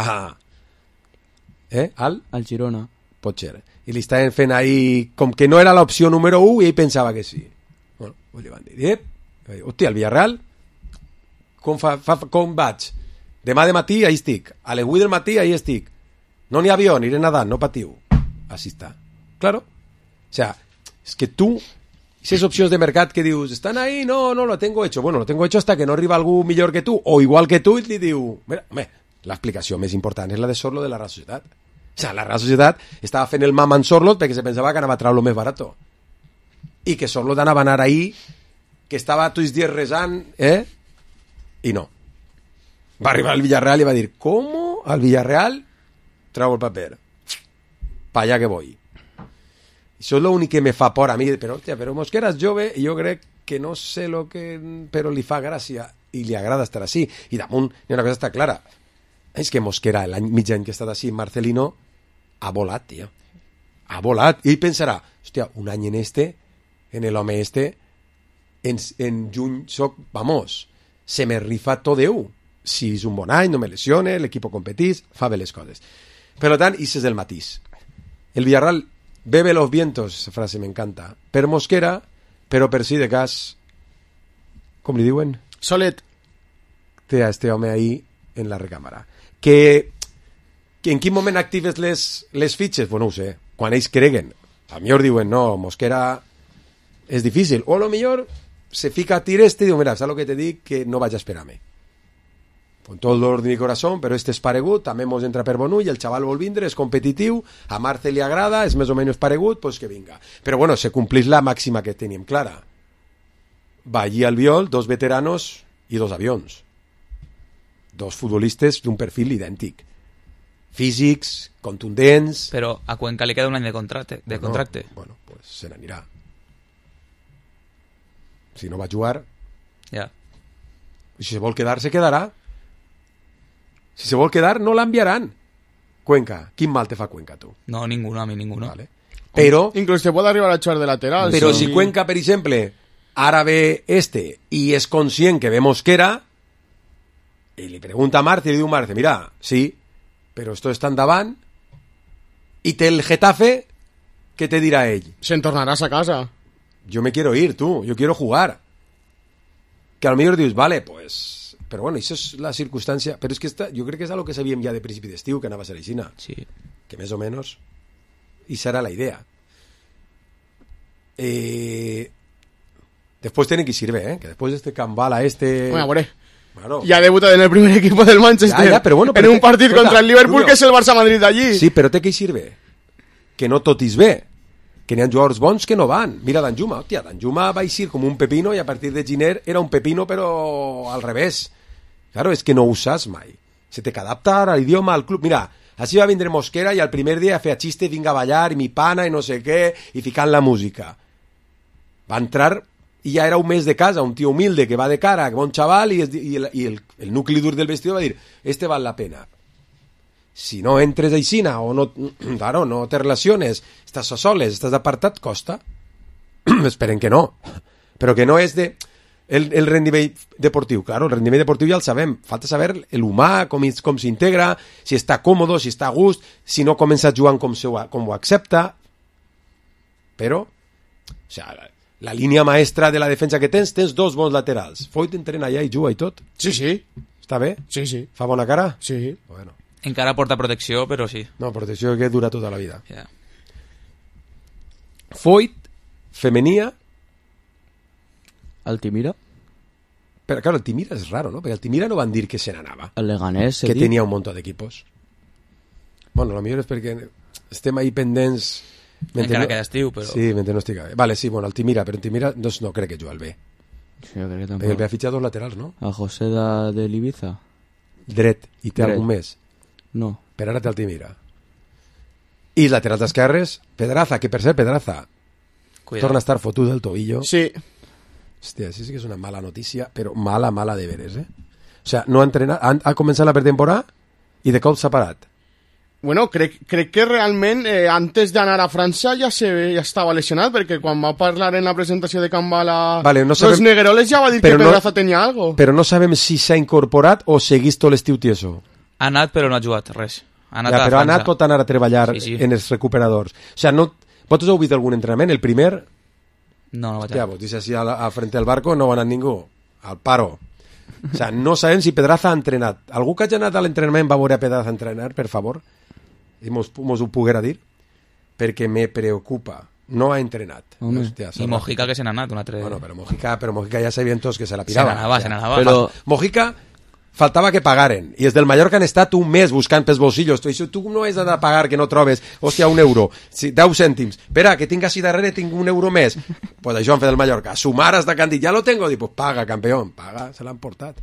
Eh? Al? Al Girona. Pot ser. I li estaven fent ahí... Com que no era l'opció número u i ell pensava que sí. Bueno, pues li van dir, eh? Hòstia, el Villarreal, com, fa, fa, com vaig? Demà de matí, ahí estic. A les vuit del matí, ahí estic. No n'hi ha avió, aniré nedant, no patiu. Así está. Claro. O sea, es que tú, esas opciones de mercat que dius, están ahí, no, no, lo tengo hecho. Bueno, lo tengo hecho hasta que no arriba algú millor que tu, o igual que tu, i li diu, mira, home, l'explicació més important és la de Sorlo de la Real Societat. O sea, la Real Societat estava fent el mam en Sorlo perquè se pensava que anava a treure lo més barato. I que Sorlo anava a anar ahí, que estava tots els dies resant, eh? I no. Va arribar al Villarreal i va dir, ¿cómo? Al Villarreal trau el paper. Pa allà que voy. Això és l'únic que me fa por a mi, però, hòstia, però Mosquera és jove i jo crec que no sé lo que... però li fa gràcia i li agrada estar així. I damunt, hi ha una cosa està clara. És que Mosquera, l'any mig any que ha estat així, Marcelino, ha volat, tio. Ha volat. I ell pensarà, hòstia, un any en este, en el home este, en, en juny soc, vamos, se me rifa tot Déu. Si és un bon any, no me lesione, l'equip competís, fa bé les coses. Per tant, això és el matís. El Villarreal bebe los vientos, esa frase me encanta, per Mosquera, però per si de cas, com li diuen? Solet. Té a este home ahí en la recàmera. Que, que en quin moment actives les, les fitxes? Bueno, ho sé, quan ells creguen. A millor diuen, no, Mosquera és difícil. O a lo millor se fica a tir este i diu, mira, saps el que te dic? Que no vaig a esperar-me. Con tot l'ordre i corazón, però este és paregut, també mos entra per bon ull, el xaval vol vindre, és competitiu, a Marce li agrada, és més o menys paregut, pues que vinga. Però bueno, se complís la màxima que teníem clara. Va allí al Viol, dos veteranos i dos avions. Dos futbolistes d'un perfil idèntic. Físics, contundents... Però a Cuenca li queda un any de contracte. De bueno, contracte. Bueno, pues se n'anirà. Si no va jugar... Ja. Si se vol quedar, se quedarà. Si se vol quedar, no l'enviaran. Cuenca, quin mal te fa Cuenca, tu? No, ninguno, a mi ninguno. Vale. Però... Incluso te puede arribar a echar de lateral. Però sí. si Cuenca, per exemple, ara ve este i és conscient que ve Mosquera i li pregunta a Marce i li diu Marce, mira, sí, però esto està endavant i té el Getafe, què te dirà ell? Se'n tornaràs a casa. Yo me quiero ir, tú, yo quiero jugar. Que a lo mejor dius, vale, pues... Però bueno, això és la circumstància... Però és que esta, jo crec que és algo que sabíem ja de principi d'estiu, que anava a ser aixina. Sí. Que més o menys... I serà la idea. Eh... Después tienen que ir sirve, ¿eh? Que después de este Cambala, este... Bueno, bueno. Claro. Ya debuta en el primer equipo del Manchester. Ya, ya, pero bueno, pero en un te, partido escolta, contra el Liverpool, Rubio, que és el Barça-Madrid allí. Sí, però té que hi sirve. Que no tot és bé. Que n'hi ha jugadors bons que no van. Mira Danjuma, hòstia, Danjuma va eixir com un pepino i a partir de Giner era un pepino però al revés. Claro, és que no ho saps mai. Se té que adaptar a l'idioma, al club. Mira, així va vindre Mosquera i al primer dia feia xiste, vinga a ballar, i mi pana, i no sé què, i ficant la música. Va entrar i ja era un mes de casa, un tio humilde que va de cara, que bon xaval, i, es, i, el, i el, el nucli dur del vestidor va dir, este val la pena. Si no entres aixina o no, claro, no te relaciones, estàs a soles, estàs apartat, costa. Esperen que no. Però que no és de... El, el rendiment deportiu, claro, el rendiment deportiu ja el sabem. Falta saber l'humà, com, com s'integra, si està còmodo, si està a gust, si no comença jugant com, se ho, com ho accepta. Però, o sea, la, la línia maestra de la defensa que tens, tens dos bons laterals. Foyt entrena allà i juga i tot. Sí, sí. Està bé? Sí, sí. Fa bona cara? Sí. Bueno. Encara porta protecció, però sí. No, protecció que dura tota la vida. Yeah. Foyt, femenia... Altimira? Però, claro, Altimira és raro, ¿no? Perquè Altimira no van dir que se n'anava. El Leganés, que tenia un munt d'equipos. Bueno, lo millor és perquè estem ahí pendents... Encara no... queda estiu, però... Sí, mentre no estic bé. Vale, sí, bueno, Altimira, però Altimira no, no crec que juga al B. Sí, jo crec que tampoc. Perquè el B ha fitxat dos laterals, no? A José de, de l'Ibiza. Dret, i té Dret. algun més? No. Per ara té Altimira. I laterals d'esquerres, Pedraza, que per ser Pedraza Cuidado. Torna a estar fotut del tobillo. Sí. Hòstia, sí, sí que és una mala notícia, però mala, mala de veres, eh? O sea, no ha entrenat, ha, ha començat la pretemporada i de cop s'ha parat. Bueno, crec, crec que realment eh, antes d'anar a França ja, se, ja estava lesionat, perquè quan va parlar en la presentació de Can Bala vale, no sabem, los Negreroles ja va dir que Pedraza no, tenia algo. Però no sabem si s'ha incorporat o seguís tot l'estiu tieso. Ha anat però no ha jugat res. Ha anat ja, a però França. ha anat pot anar a treballar sí, sí. en els recuperadors. O sea, no, vosaltres heu vist algun entrenament? El primer... No, no vaig ja, vos dius així a, a frente al barco no va anar ningú. Al paro. O sea, no sabem si Pedraza ha entrenat. Algú que hagi anat a l'entrenament va veure a Pedraza entrenar, per favor? I mos, mos ho poguera dir? Perquè me preocupa. No ha entrenat. Hòstia, I Mojica que se n'ha anat un altre... Bueno, però Mojica, però Mojica ja sabien tots que se la pirava. Se n'anava, se n'anava. Però Mojica faltava que pagaren. I els del Mallorca han estat un mes buscant pels bolsillos. Tu, tu no has d'anar a pagar que no trobes, hòstia, un euro, deu cèntims. Espera, que tinc així darrere, tinc un euro més. Pues això han fet el Mallorca. Sumar hasta que han dit, ja lo tengo. Dic, pues paga, campeón. Paga, se l'han portat.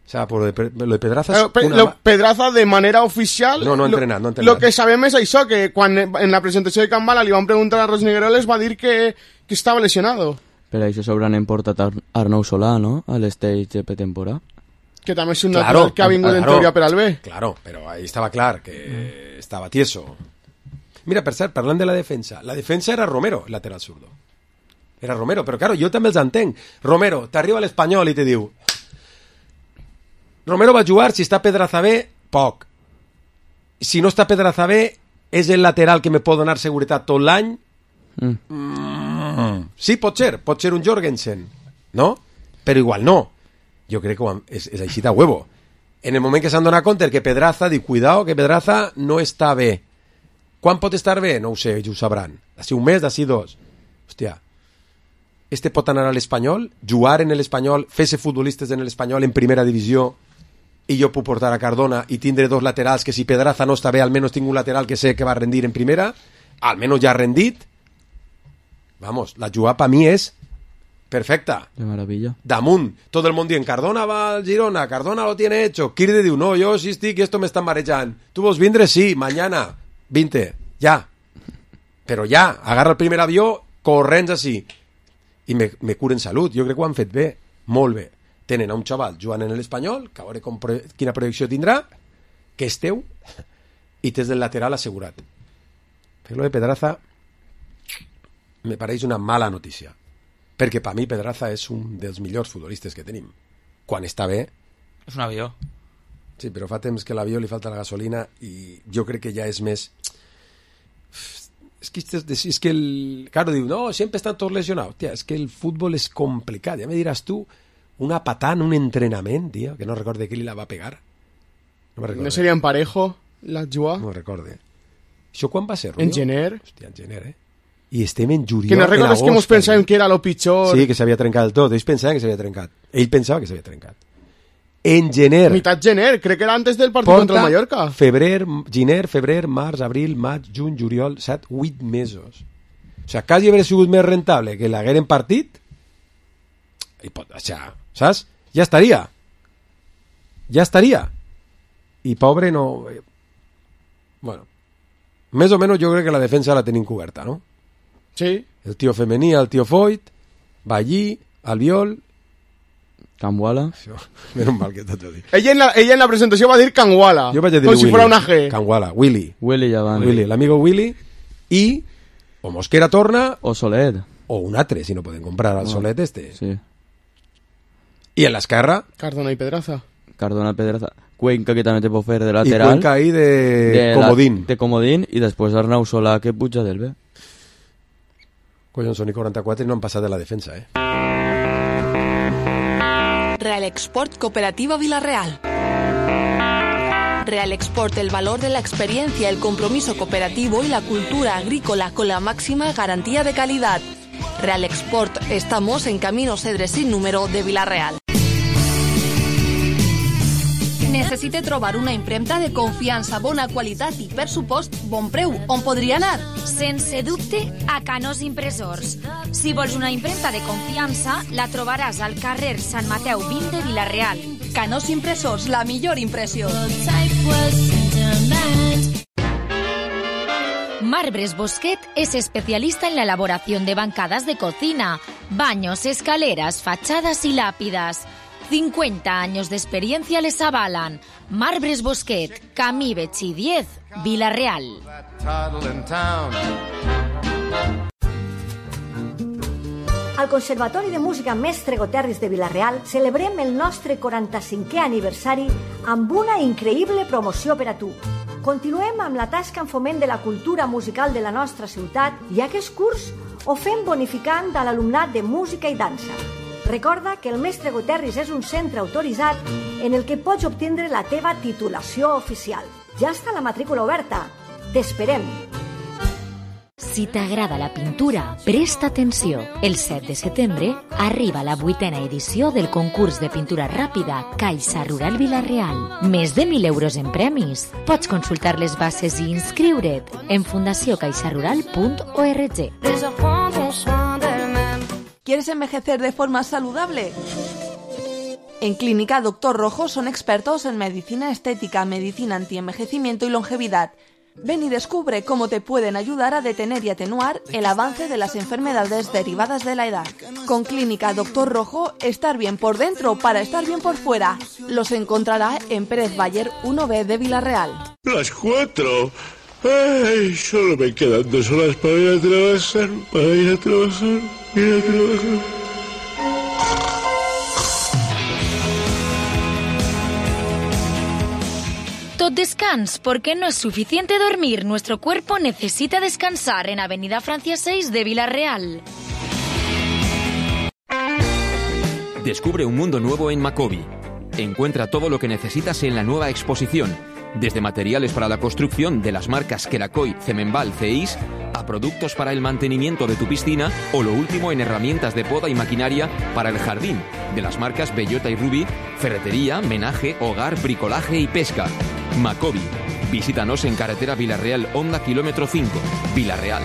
O sea, por lo de, lo de Pedraza es Pe, una... lo, Pedraza de manera oficial... No, no ha entrenat, no ha entrenat. Lo que sabem és això, que quan en la presentació de Can Bala li van preguntar a Ros Negreroles va dir que, que estava lesionado. Per això s'hauran importat Arnau Solà, no?, a l'stage de pretemporada. Que també és un claro, natural que ha vingut claro, en teoria per al B. Claro, però ahí estava clar que mm. estava tieso. Mira, per cert, parlant de la defensa, la defensa era Romero, lateral zurdo. Era Romero, però claro, jo també els entenc. Romero, t'arriba a l'Espanyol i te diu... Romero va jugar, si està Pedraza bé, poc. Si no està Pedraza bé, és el lateral que me pot donar seguretat tot l'any. Mm. Mm. Sí, pot ser, pot ser un Jorgensen, no? Però igual no. Jo crec que és, és així de huevo. En el moment que s'han donat compte que Pedraza, diu, cuidao, que Pedraza no està bé. Quan pot estar bé? No ho sé, ells ho sabran. D'ací un mes, d'ací dos. Hòstia, este pot anar a l'Espanyol, jugar en l'Espanyol, fer-se futbolistes en l'Espanyol en primera divisió, i jo puc portar a Cardona i tindre dos laterals que si Pedraza no està bé, almenys tinc un lateral que sé que va rendir en primera, almenys ja ha rendit. Vamos, la jugada per mi és perfecta. De maravilla. Damunt, tot el món dient, Cardona va al Girona, Cardona lo tiene hecho. Kirde diu, no, jo sí estic, esto me está marejant. Tu vols vindre? Sí, mañana, vinte, ja. Però ja, agarra el primer avió, corrents així. I me, me curen salut, jo crec que ho han fet bé, molt bé. Tenen a un xaval jugant en l'Espanyol, que a veure com, quina projecció tindrà, que és teu, i tens del lateral assegurat. Però lo de Pedraza me pareix una mala notícia, perquè per mi Pedraza és un dels millors futbolistes que tenim. Quan està bé... És un avió. Sí, però fa temps que l'avió li falta la gasolina i jo crec que ja és més... És que, és que el... Claro, diu, no, sempre estan tots lesionados. Tia, és que el futbol és complicat. Ja me diràs tu... Una patada en un entrenament, tío, que no recorde qui li la va pegar. No me recorde. No seria en Parejo, la jugada? No recorde. Això quan va ser, Rubio? En gener. Hòstia, en gener, eh? I estem en juliol, que no recordes que mos pensàvem que era lo pitjor. Sí, que s'havia trencat del tot. Ells pensaven que s'havia trencat. Ell pensava que s'havia trencat. En gener. Mitat gener, crec que era antes del partit contra el Mallorca. Febrer, gener, febrer, març, abril, maig, juny, juliol, set, vuit mesos. O sea, quasi hauria sigut més rentable que l'hagueren partit i pot deixar, saps? Ja estaria. Ja estaria. I pobre no... Bueno, més o menys jo crec que la defensa la tenim coberta, no? Sí. El tio femení, el tio Foyt, Ballí, Albiol... Canguala. Menos mal que t'ho dit. Ella en, la, ella en la presentació va dir Canguala. Jo vaig a dir com Willy. Si fuera una G. Canguala, Willy. Willy ja van. Willy, l'amigo Willy. I o Mosquera torna... O Soler. O un altre, si no poden comprar al no. Solet este. Sí. I en l'esquerra... Cardona i Pedraza. Cardona, Pedraza. Cuenca, que també te pot fer de lateral. I Cuenca ahí de, de comodín. La, de comodín, i després Arnau Solà, que puja del B. Collons, són i quaranta-quatre i no han passat de la defensa, eh? Real Export Cooperativa Villarreal. Real Export, el valor de la experiencia, el compromiso cooperativo y la cultura agrícola con la máxima garantía de calidad. Real Export, estamos en Camino Cedre sin número de Villarreal. Necessite trobar una impremta de confiança, bona qualitat i, per supost, bon preu. On podria anar? Sense dubte, a Canós Impressors. Si vols una impremta de confiança, la trobaràs al carrer Sant Mateu vint de Vila-real. Canós Impressors, la millor impressió. Marbres Bosquet es especialista en la elaboración de bancadas de cocina, baños, escaleras, fachadas y lápidas. cincuenta años de experiencia les avalan. Marbres Bosquet, Camí Betxí diez, Vila-real. Al Conservatori de Música Mestre Goterris de Vila-real celebrem el nostre quaranta-cinquè aniversari amb una increïble promoció per a tu. Continuem amb la tasca en foment de la cultura musical de la nostra ciutat i aquest curs ho fem bonificant a l'alumnat de música i dansa. Recorda que el Mestre Goterris és un centre autoritzat en el que pots obtindre la teva titulació oficial. Ja està la matrícula oberta. T'esperem! Si t'agrada la pintura, presta atenció. El set de setembre arriba la vuitena edició del concurs de pintura ràpida Caixa Rural Vila-real. Més de mil euros en premis. Pots consultar les bases i inscriure't en fundació caixa rural punt org. ¿Quieres envejecer de forma saludable? En Clínica Doctor Rojo son expertos en medicina estética, medicina antienvejecimiento y longevidad. Ven y descubre cómo te pueden ayudar a detener y atenuar el avance de las enfermedades derivadas de la edad. Con Clínica Doctor Rojo, estar bien por dentro para estar bien por fuera. Los encontrará en Pérez Bayer uno B de Vila-real. Las cuatro. Ay, solo me quedan dos horas para ir a trabajar, para ir a trabajar, ir a trabajar. Tot descans, porque no es suficiente dormir. Nuestro cuerpo necesita descansar en Avenida Francia seis de Vila-real. Descubre un mundo nuevo en Macobi. Encuentra todo lo que necesitas en la nueva exposición, desde materiales para la construcción de las marcas Kerakoy, Cemenbal, Ceis, a productos para el mantenimiento de tu piscina o lo último en herramientas de poda y maquinaria para el jardín, de las marcas Bellota y Ruby, ferretería, menaje, hogar, bricolaje y pesca. Macobi. Visítanos en carretera Vila-real Honda kilómetro cinco, Vila-real.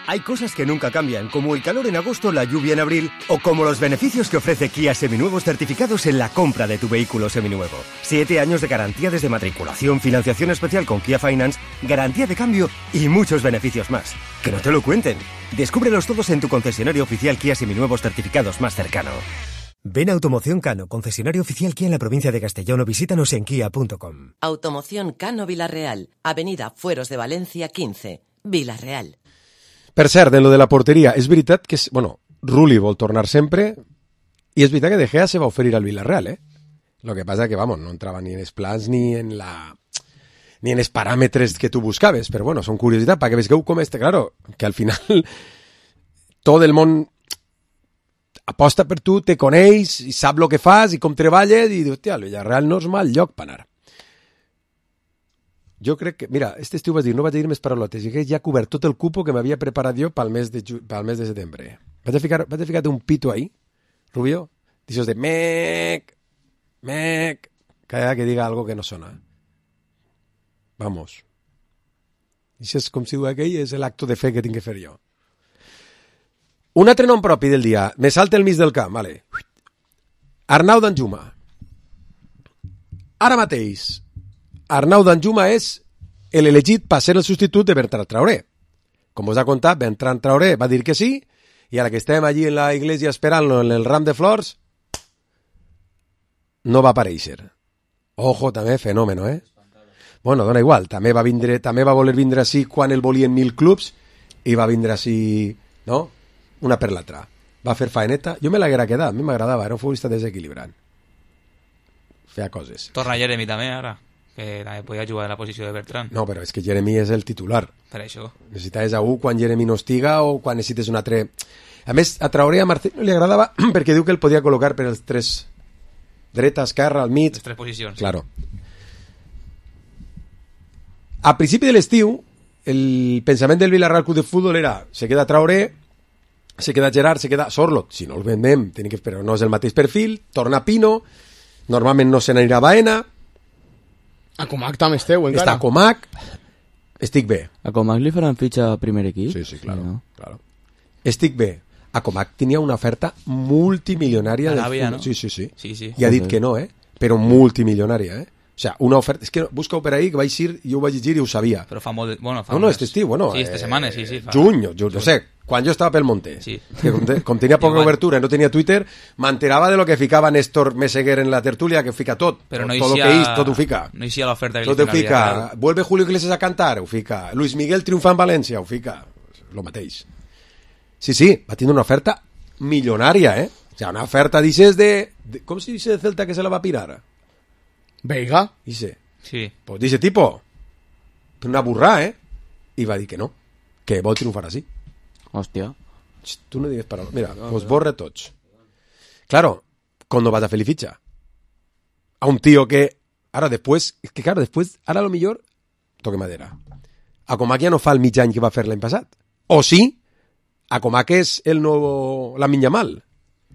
Hay cosas que nunca cambian, como el calor en agosto, la lluvia en abril, o como los beneficios que ofrece Kia Seminuevos certificados en la compra de tu vehículo seminuevo. Siete años de garantía desde matriculación, financiación especial con Kia Finance, garantía de cambio y muchos beneficios más. Que no te lo cuenten. Descúbrelos todos en tu concesionario oficial Kia Seminuevos certificados más cercano. Ven a Automoción Cano, concesionario oficial Kia en la provincia de Castellón, o visítanos en kia punto com. Automoción Cano Vila-real, Avenida Fueros de Valencia quince, Vila-real. Per cert, en lo de la porteria, és veritat que, bueno, Rulli vol tornar sempre, i és veritat que De Gea se va oferir al Villarreal, eh? Lo que pasa que, vamos, no entrava ni en els plans ni en la... ni en els paràmetres que tu buscaves, però bueno, són curiositat, perquè veus com este, claro, que al final tot el món aposta per tu, te coneix, i sap el que fas, i com treballes, i dius, hòstia, el Villarreal no és mal lloc per anar. Jo crec que, mira, este estiu vas dir, no vaig dir més paraulotes, i que ja ha cobert tot el cupo que m'havia preparat jo pel mes de, ju pel mes de setembre. Vaig a ficar, vaig a ficar un pito ahí, Rubio, d'aixòs de mec, mec, cada que diga algo que no sona. Vamos. Això és com si diu aquell, és l'acto de fe que tinc que fer jo. Un altre nom propi del dia, me salta el mig del camp, vale. Arnau Danjuma. Ara mateix, Arnau Danjuma és l'elegit per ser el substitut de Bertran Traoré. Com us ha contat, Bertran Traoré va dir que sí, i ara que estem allí en la iglesia esperant-lo en el ram de flors, no va aparèixer. Ojo, també, fenòmeno, eh? Bueno, dona igual, també va vindre, també va voler vindre així quan el volien mil clubs, i va vindre així, no?, una per l'altra. Va fer faeneta. Jo me l'haguera quedat, a mi m'agradava, era un futbolista desequilibrant. Feia coses. Torna Jeremy també, ara, que també podia jugar en la posició de Bertran. No, però és que Jeremy és el titular. Per això. Necessitaves a un quan Jeremy no estiga o quan necessites un altre... A més, a Traoré a Martín no li agradava perquè diu que el podia col·locar per els tres... dreta, esquerra, al mig... Les tres posicions. Claro. A principi de l'estiu, el pensament del Villarreal Club de Futbol era se queda Traoré, se queda Gerard, se queda Sorlot, si no el vendem, tenim que esperar, no és el mateix perfil, torna Pino, normalment no se n'anirà Baena, a Comac també esteu encara. Està a Comac, estic bé. A Comac li faran fitxa a primer equip? Sí, sí, claro, sí, no? claro. Estic bé. A Comac tenia una oferta multimilionària. Aràbia, del... no? Sí, sí, sí. sí, sí. I ha dit que no, eh? Però multimilionària, eh? O sea, una oferta... És que busca per ahí, que vaig ir, jo ho vaig llegir i ho sabia. Però fa molt... De... Bueno, fa no, no, este estiu, bueno... Sí, esta eh, setmana, sí, sí. Fa... Juny, juny, no sé, quan jo estava pel Monte, sí. que com, te, com tenia poca obertura, no tenia Twitter, m'enterava de lo que ficava Néstor Meseguer en la tertúlia, que fica tot, Però no tot lo eixia- que és, tot ho fica. no eixia l'oferta que Tot li ho feien a fica. Villarreal. Vuelve Julio Iglesias a cantar, ho fica. Luis Miguel triomfa en València, ho fica. Lo mateix. Sí, sí, va tindre una oferta milionària, eh? O sea, una oferta, dices, de... de ¿Cómo se dice de Celta que se la va a pirar? Veiga. Dice. Sí. Pues dice tipo, una burra, ¿eh? Y va a decir que no, que vol triunfar así. Hostia. Tú no digas para... Mira, os borre tots. Claro, cuando vas a hacer ficha a un tío que... Ahora después... Es que claro, después... Ahora lo mejor... Toque madera. A Comac ja no fa el mig any que va fer l'any passat. O sí, a Comac és el nou... la Minyamal.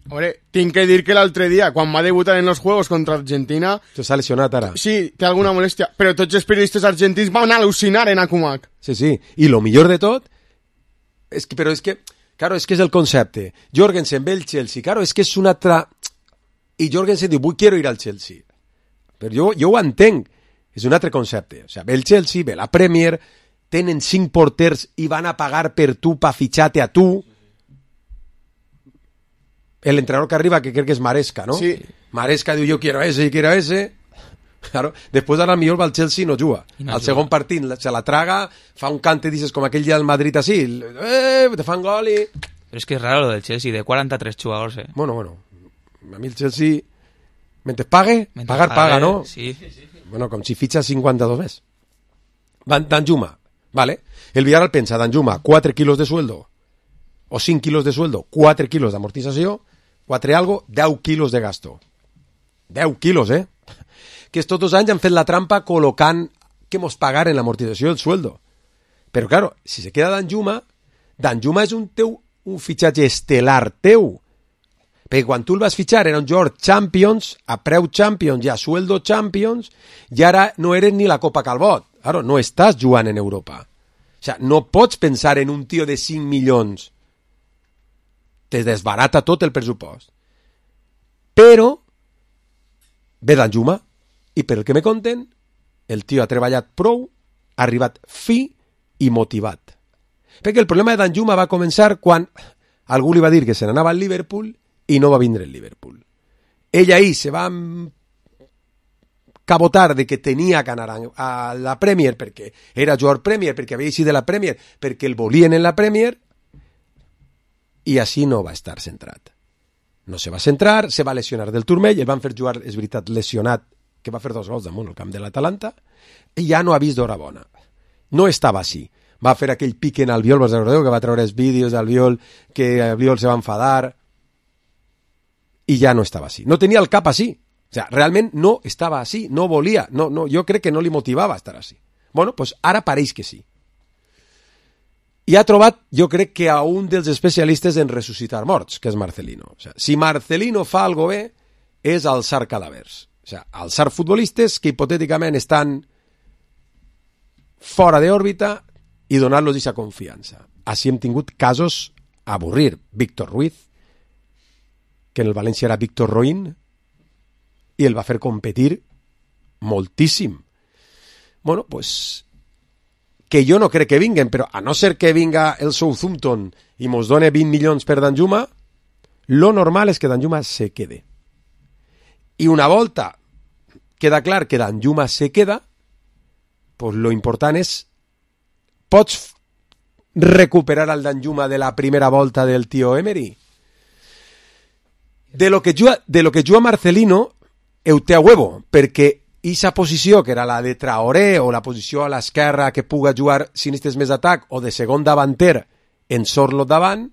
Hombre, tinc que dir que l'altre dia, quan va debutar en los Juegos contra Argentina... Se s'ha lesionat ara. Sí, té alguna molèstia, però tots els periodistes argentins van al·lucinar en Akumak. Sí, sí. I lo millor de tot... És que, però és que... Claro, és que és el concepte. Jorgensen ve el Chelsea. Claro, és que és una altra... I Jorgensen diu, vull, quiero ir al Chelsea. Però jo, jo ho entenc. És un altre concepte. O sea, ve el Chelsea, ve la Premier, tenen cinc porters i van a pagar per tu pa fitxar-te a tu. El entrenador que arriba, que crec que és Maresca, ¿no? Sí. Maresca diu, yo quiero ese, y quiero ese. Claro, després ara millor va al Chelsea i no juga. no al juga. segon partit se la traga, fa un cante, dices, com aquell dia del Madrid así, eh, te fan gol i... Pero es que es raro lo del Chelsea, de cuarenta-tres jugadores, eh. Bueno, bueno, a mi el Chelsea, mentre pague, Mentre pagar pague, paga, ¿no? Sí. Bueno, com si fitxa cinquanta-dos més. Van Danjuma, vale? El Villarreal pensa, Danjuma, quatre quilos de sueldo, o cinc quilos de sueldo, quatre quilos d'amortització, quatre algo, deu quilos de gasto. deu quilos, eh? Que estos dos anys han fet la trampa col·locant que mos pagaren l'amortització del sueldo. Però, claro, si se queda Danjuma, Danjuma és un teu un fitxatge estel·lar teu. Perquè quan tu el vas fitxar era un jugador Champions, a preu Champions i a sueldo Champions, i ara no eres ni la Copa Calbot. Claro, no estàs jugant en Europa. O sea, no pots pensar en un tio de cinc milions. Te desbarata tot el pressupost. Però ve Danjuma i per el que me conten, el tio ha treballat prou, ha arribat fi i motivat. Perquè el problema de Danjuma va començar quan algú li va dir que se n'anava al Liverpool i no va vindre el Liverpool. Ell ahí se va cabotar de que tenia que anar a la Premier perquè era jugador Premier, perquè havia eixit de la Premier, perquè el volien en la Premier, i així no va estar centrat. No se va centrar, se va lesionar del turmell, el van fer jugar, és veritat, lesionat, que va fer dos gols damunt el camp de l'Atalanta, i ja no ha vist d'hora bona. No estava així. Va fer aquell pique en Albiol, vos recordeu, que va treure els vídeos d'Albiol, que Albiol se va enfadar, i ja no estava així. No tenia el cap així. O sea, realment no estava així, no volia, no, no, jo crec que no li motivava estar així. Bueno, pues ara pareix que sí. I ha trobat, jo crec que a un dels especialistes en ressuscitar morts, que és Marcelino. O sea, si Marcelino fa algo bé, és alçar cadàvers. O sea, alçar futbolistes que hipotèticament estan fora d'òrbita i donar-los aquesta confiança. Així hem tingut casos a avorrir. Víctor Ruiz, que en el València era Víctor Roín, i el va fer competir moltíssim. Bueno, pues, que jo no crec que vinguen, però a no ser que vinga el Southampton i mos done vint milions per Danjuma, lo normal és que Danjuma se quede. I una volta queda clar que Danjuma se queda, pues lo important és, pots recuperar el Danjuma de la primera volta del tio Emery? De lo que juga, de lo que juga Marcelino, heu té a huevo, perquè aquesta posició, que era la de Traoré, o la posició a l'esquerra que puga jugar sinistres més d'atac, o de segon davanter en Sorlo davant,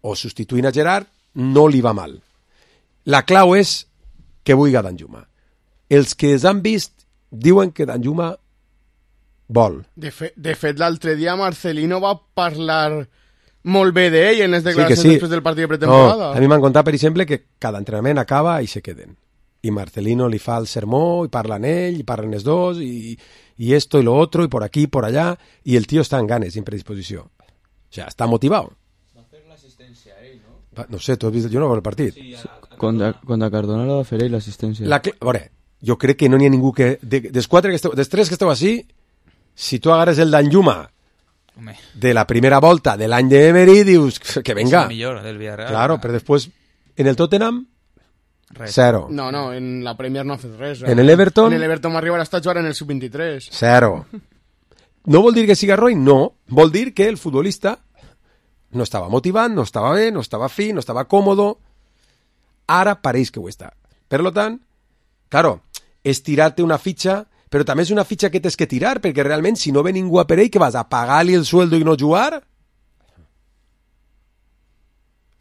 o substituint a Gerard, no li va mal. La clau és que vulgui Danjuma. Els que els han vist diuen que Danjuma vol. De, fe, de fet, l'altre dia Marcelino va parlar molt bé d'ell en les declaracions sí, sí. després del partit de pretemporada. No, a mi m'han contat, per exemple, que cada entrenament acaba i se queden. I Marcelino li fa el sermó, i parlen ell, i parlen els dos, i, i esto y lo otro, y por aquí, y por allá, i el tio està en ganes, en predisposició. O sea, està motivat. Va fer l'assistència a ell, no? Va, no sé, tu has vist, jo no veig el partit. Sí, a, a, contra, contra Cardona la va fer ell, l'assistència. La, a veure, jo crec que no n'hi ha ningú que... De, dels quatre que esteu, dels tres que esteu així, si tu agarres el Danjuma, Home. de la primera volta de l'any d'Emery, dius que venga. És el millor del Villarreal. Claro, però després en el Tottenham Res. Zero. No, no, en la Premier no ha fet res. En el Everton? En el Everton va arribar a estar jugant en el sub vint-i-tres. Zero. No vol dir que siga roïn, no. Vol dir que el futbolista no estava motivant, no estava bé, no estava fi, no estava còmodo. Ara pareix que ho està. Per lo tant, claro, és tirar-te una fitxa, però també és una fitxa que tens que tirar, perquè realment si no ve ningú a per ell, que vas a pagar-li el sueldo i no jugar?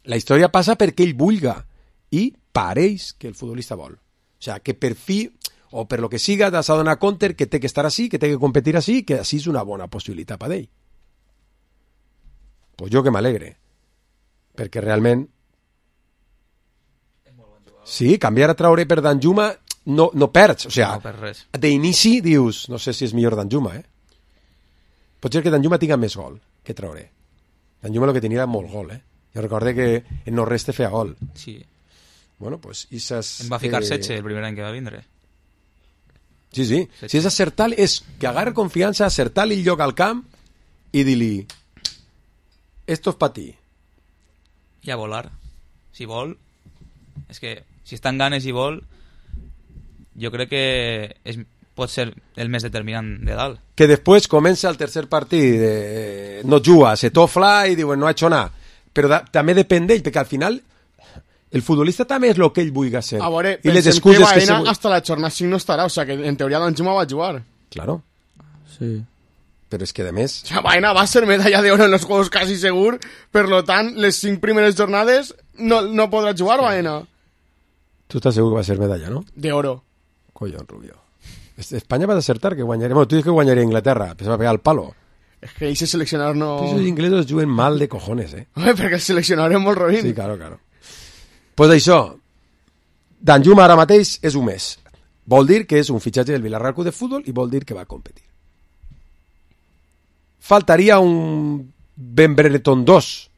La història passa perquè ell vulga i pareix que el futbolista vol. O sea, que per fi, o per lo que siga, t'has de donar compte que té que estar així, que té que competir així, que així és una bona possibilitat per ell. Pues jo que m'alegre. Perquè realment... Sí, canviar a Traoré per Danjuma no, no perds. O sea, no per res. d'inici dius, no sé si és millor Danjuma, eh? Pot ser que Danjuma tinga més gol que Traoré. Danjuma el que tenia era molt gol, eh? Jo recorde que en no res te feia gol. Sí. Bueno, pues Isas... Em va ficar eh... setze el primer any que va vindre. Sí, sí. Setxe. Si és acertar, és que agarre confiança, acertar-li el lloc al camp i dir-li esto es pa ti. I a volar. Si vol... És que si està en ganes i vol, jo crec que és, pot ser el més determinant de dalt. Que després comença el tercer partit, eh, no juga, se tofla i diuen no ha hecho nada. Però da, també depèn d'ell, perquè al final el futbolista també és el que ell vulgui ser. A veure, I les pensem excuses que Baena que se... hasta la jornada cinc no estarà, o sea que en teoria Danjuma va jugar. Claro. Sí. Però és que, a més... O sea, Baena va ser medalla de oro en los juegos casi segur, per lo tant, les cinc primeres jornades no, no podrà jugar Baena. Tu estàs segur que va ser medalla, no? De oro. Collón, Rubio. Espanya va acertar que guanyaria... Bueno, tu dius que guanyaria Inglaterra, però se va pegar el palo. Es que ese seleccionador no... Esos inglesos juguen mal de cojones, eh? Home, perquè el seleccionador és molt roïn. Sí, claro, claro. Pues això, Danjuma ara mateix és un mes. Vol dir que és un fitxatge del Villarreal Club de Futbol i vol dir que va competir. Faltaria un Ben Brereton dos,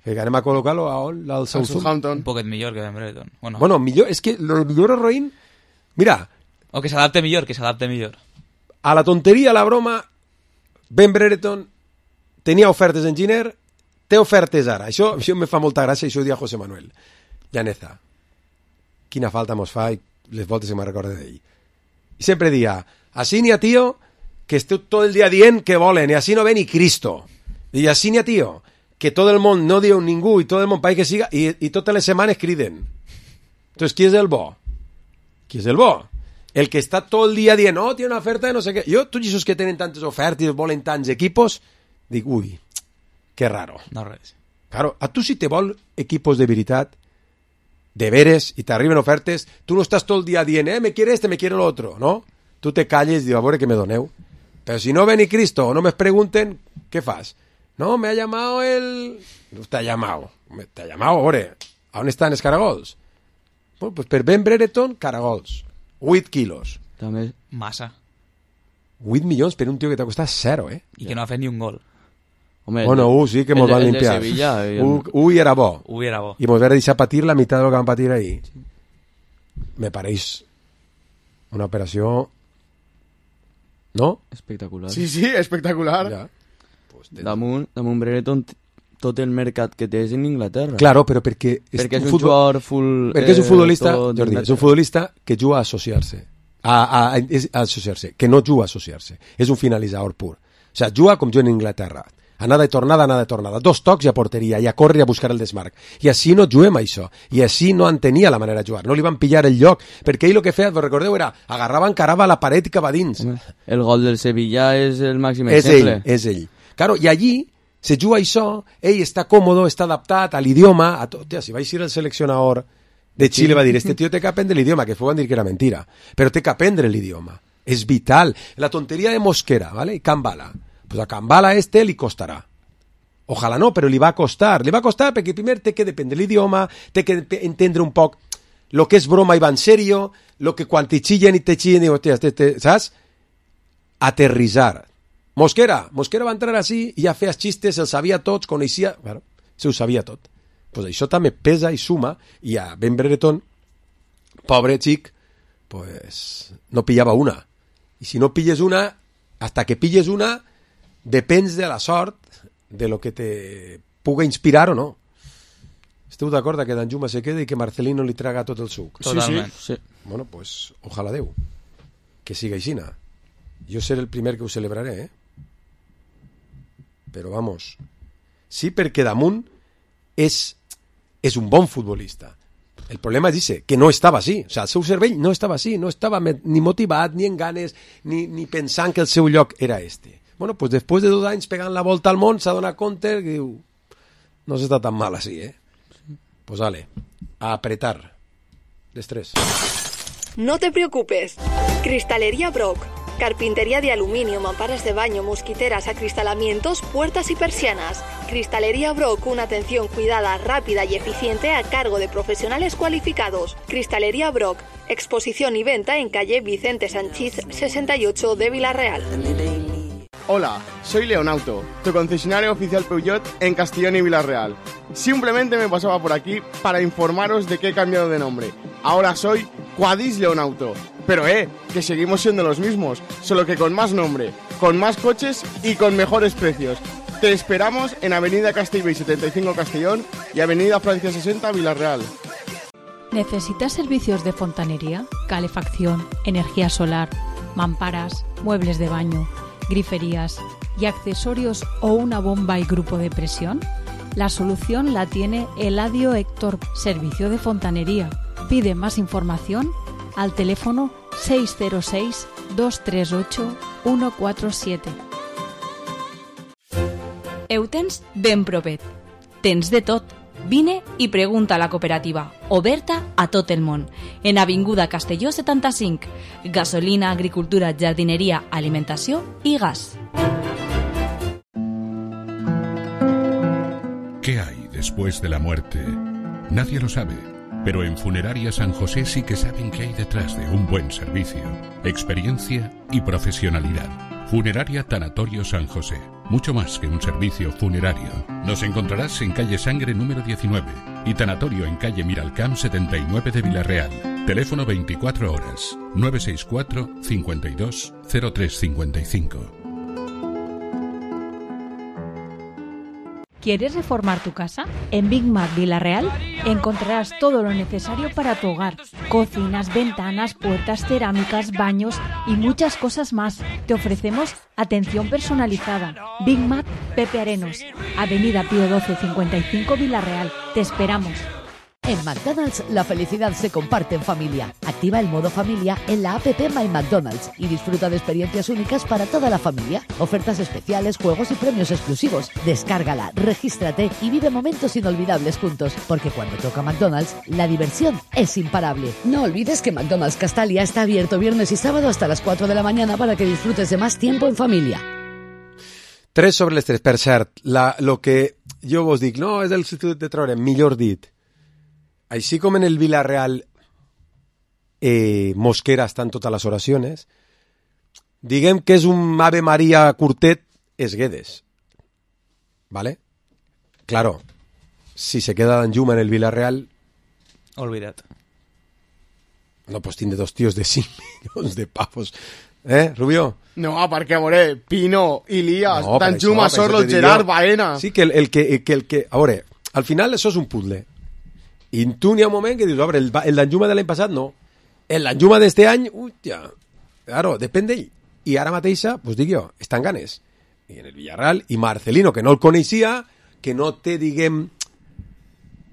que anem a col·locar-lo al Southampton. Un poquet millor que Ben Brereton. Bueno, bueno millor, és que lo millor és roïn... Mira... O que s'adapte millor, que s'adapte millor. A la tonteria, a la broma, Ben Brereton tenia ofertes en Giner, té ofertes ara. Això, això me fa molta gràcia, això ho dia José Manuel Llaneza. Quina falta mos fa i les voltes que me recorde d'ell. I sempre dia, así ni a tío, que esteu tot el dia dient que volen, i así no ve ni Cristo. I así ni a tío, que tot el món no diu ningú, i tot el món país que siga, i, i totes les setmanes criden. Entonces, qui és el bo? Qui és el bo? El que està tot el dia dient, no, tiene una oferta de no sé què. Jo, tots aquests que tenen tantes ofertes, volen tants equipos, dic, ui, que raro. No res. Claro, a tu si te vol equipos de veritat, de veres, i t'arriben ofertes, tu no estàs tot el dia dient, eh, me quiere este, me quiere l'otro, no? Tu te calles i dius, a veure que me doneu. Però si no ven ni Cristo o no me pregunten, què fas? No, me ha llamado el... No te ha llamado. Te ha llamado, a veure, a on estan els caragols? Bueno, pues per Ben Brereton, caragols. vuit quilos. També. Massa. vuit milions per un tio que t'ha costat zero, eh? I que no ha fet ni un gol. Home, bueno, u sí que mos van limpiar. U era bo. U era bo. I mos van deixar patir la meitat del que van patir ahí. Me pareix una operació... No? Espectacular. Sí, sí, espectacular. Ja. Pues damunt, damunt Brereton tot el mercat que té és en Inglaterra. Claro, però perquè... És perquè és un, un futbol... jugador full... Perquè és un futbolista, eh, Jordi, és un futbolista que juga a associar-se. A, a, a, a associar-se. Que no juga a associar-se. És un finalitzador pur. O sea, juga com jo en Inglaterra. Anada i tornada, anada i tornada. Dos tocs i a porteria, i a córrer i a buscar el desmarc. I així no juguem això. I així no en tenia la manera de jugar. No li van pillar el lloc. Perquè ell el que feia, vos recordeu, era agarrava, encarava la paret i cap a dins. El gol del Sevilla és el màxim és exemple. Ell, és ell. Claro, i allí se juga això, ell està còmodo, està adaptat a l'idioma, a tot. Tia, si va ir el seleccionador de Xile, va dir, este tio té que aprendre l'idioma, que fue van dir que era mentira, però té que aprendre l'idioma. És vital. La tonteria de Mosquera, ¿vale? I Cambala. Pues a Cambala este li costarà. Ojalà no, però li va costar. Li va costar perquè primer té que dependre l'idioma, té que entendre un poc lo que és broma i va en serio, lo que quan te chillen i te chillen, i, hòstia, te, te, saps? Aterrissar. Mosquera, Mosquera va entrar així i ja feia xistes, els sabia tots, coneixia... Bueno, se ho sabia tot. Pues això també pesa i suma, i a Ben Brereton, pobre xic, pues no pillava una. I si no pilles una, hasta que pilles una, depens de la sort, de lo que te puga inspirar o no. Esteu d'acord que Danjuma se quede i que Marcelino li traga tot el suc? Totalment. Sí, sí. Bueno, pues, ojalà Déu que siga aixina. Jo seré el primer que ho celebraré, eh? Però vamos, sí, perquè damunt és, és un bon futbolista. El problema és ese, que no estava així. O sigui, el seu cervell no estava així, no estava ni motivat, ni en ganes, ni, ni pensant que el seu lloc era este. Bueno, pues després de dos anys pegant la volta al món s'ha donat compte que diu, no s'està tan mal així, eh? Pues vale, a apretar. Destrés. No te preocupes. Cristalería Brock. Carpintería de aluminio, mamparas de baño, mosquiteras, acristalamientos, puertas y persianas. Cristalería Brock, una atención cuidada, rápida y eficiente a cargo de profesionales cualificados. Cristalería Brock, exposición y venta en calle Vicente Sanchís sesenta y ocho de Villarreal. Hola, soy Leonauto, tu concesionario oficial Peugeot en Castellón y Villarreal. Simplemente me pasaba por aquí para informaros de que he cambiado de nombre. Ahora soy Quadis Leonauto. Pero eh, que seguimos siendo los mismos, solo que con más nombre, con más coches y con mejores precios. Te esperamos en Avenida Castellbell setenta y cinco Castellón y Avenida Francia sesenta Villarreal. ¿Necesitas servicios de fontanería, calefacción, energía solar, mamparas, muebles de baño, griferías y accesorios o una bomba y grupo de presión? La solución la tiene Eladio Héctor, servicio de fontanería. Pide más información al teléfono seis cero seis, dos tres ocho, uno cuatro siete. Ho tens ben propet. Tens de tot. Vine i pregunta a la cooperativa, oberta a tot el món. En Avinguda Castelló setanta-cinc. Gasolina, agricultura, jardineria, alimentació i gas. ¿Qué hay después de la muerte? Nadie lo sabe, pero en Funeraria San José sí que saben qué hay detrás de un buen servicio, experiencia y profesionalidad. Funeraria Tanatorio San José, mucho más que un servicio funerario. Nos encontrarás en calle Sangre número diecinueve y Tanatorio en calle Miralcamp setenta y nueve de Villarreal. Teléfono veinticuatro horas, nueve seis cuatro, cincuenta y dos, cero tres cincuenta y cinco. ¿Quieres reformar tu casa? En Big Mac Villarreal encontrarás todo lo necesario para tu hogar. Cocinas, ventanas, puertas, cerámicas, baños y muchas cosas más. Te ofrecemos atención personalizada. Big Mac Pepe Arenos, Avenida Pío doce cincuenta y cinco Villarreal. Te esperamos. En McDonald's la felicidad se comparte en familia. Activa el modo familia en la app My McDonald's y disfruta de experiencias únicas para toda la familia. Ofertas especiales, juegos y premios exclusivos. Descárgala, regístrate y vive momentos inolvidables juntos. Porque cuando toca McDonald's, la diversión es imparable. No olvides que McDonald's Castalia está abierto viernes y sábado hasta las cuatro de la mañana para que disfrutes de más tiempo en familia. tres sobre les tres. Per cert, la, lo que jo vos dic, no, és el substitut de treure, millor dit. Així com en el Villarreal eh, Mosquera estan totes les oracions, diguem que és un Ave María curtet es Guedes. ¿Vale? Claro, si se queda Danjuma en el Villarreal... Olvida't. No, pues tiene dos tíos de cinc milions de pavos. Eh, Rubio? No, perquè, a veure, Pino, Ilías, No, per Danjuma, això, per Sorlo, això te dic Gerard, jo. Baena... Sí, que el, el que, que el que... A veure, al final això és un puzzle. I tu n'hi ha un moment que dius, a veure, el, el Danjuma de l'any passat no. El Danjuma d'este any, hòstia, claro, depèn d'ell. I ara mateixa, pues dic jo, estan ganes. I en el Villarreal, i Marcelino, que no el coneixia, que no té, diguem,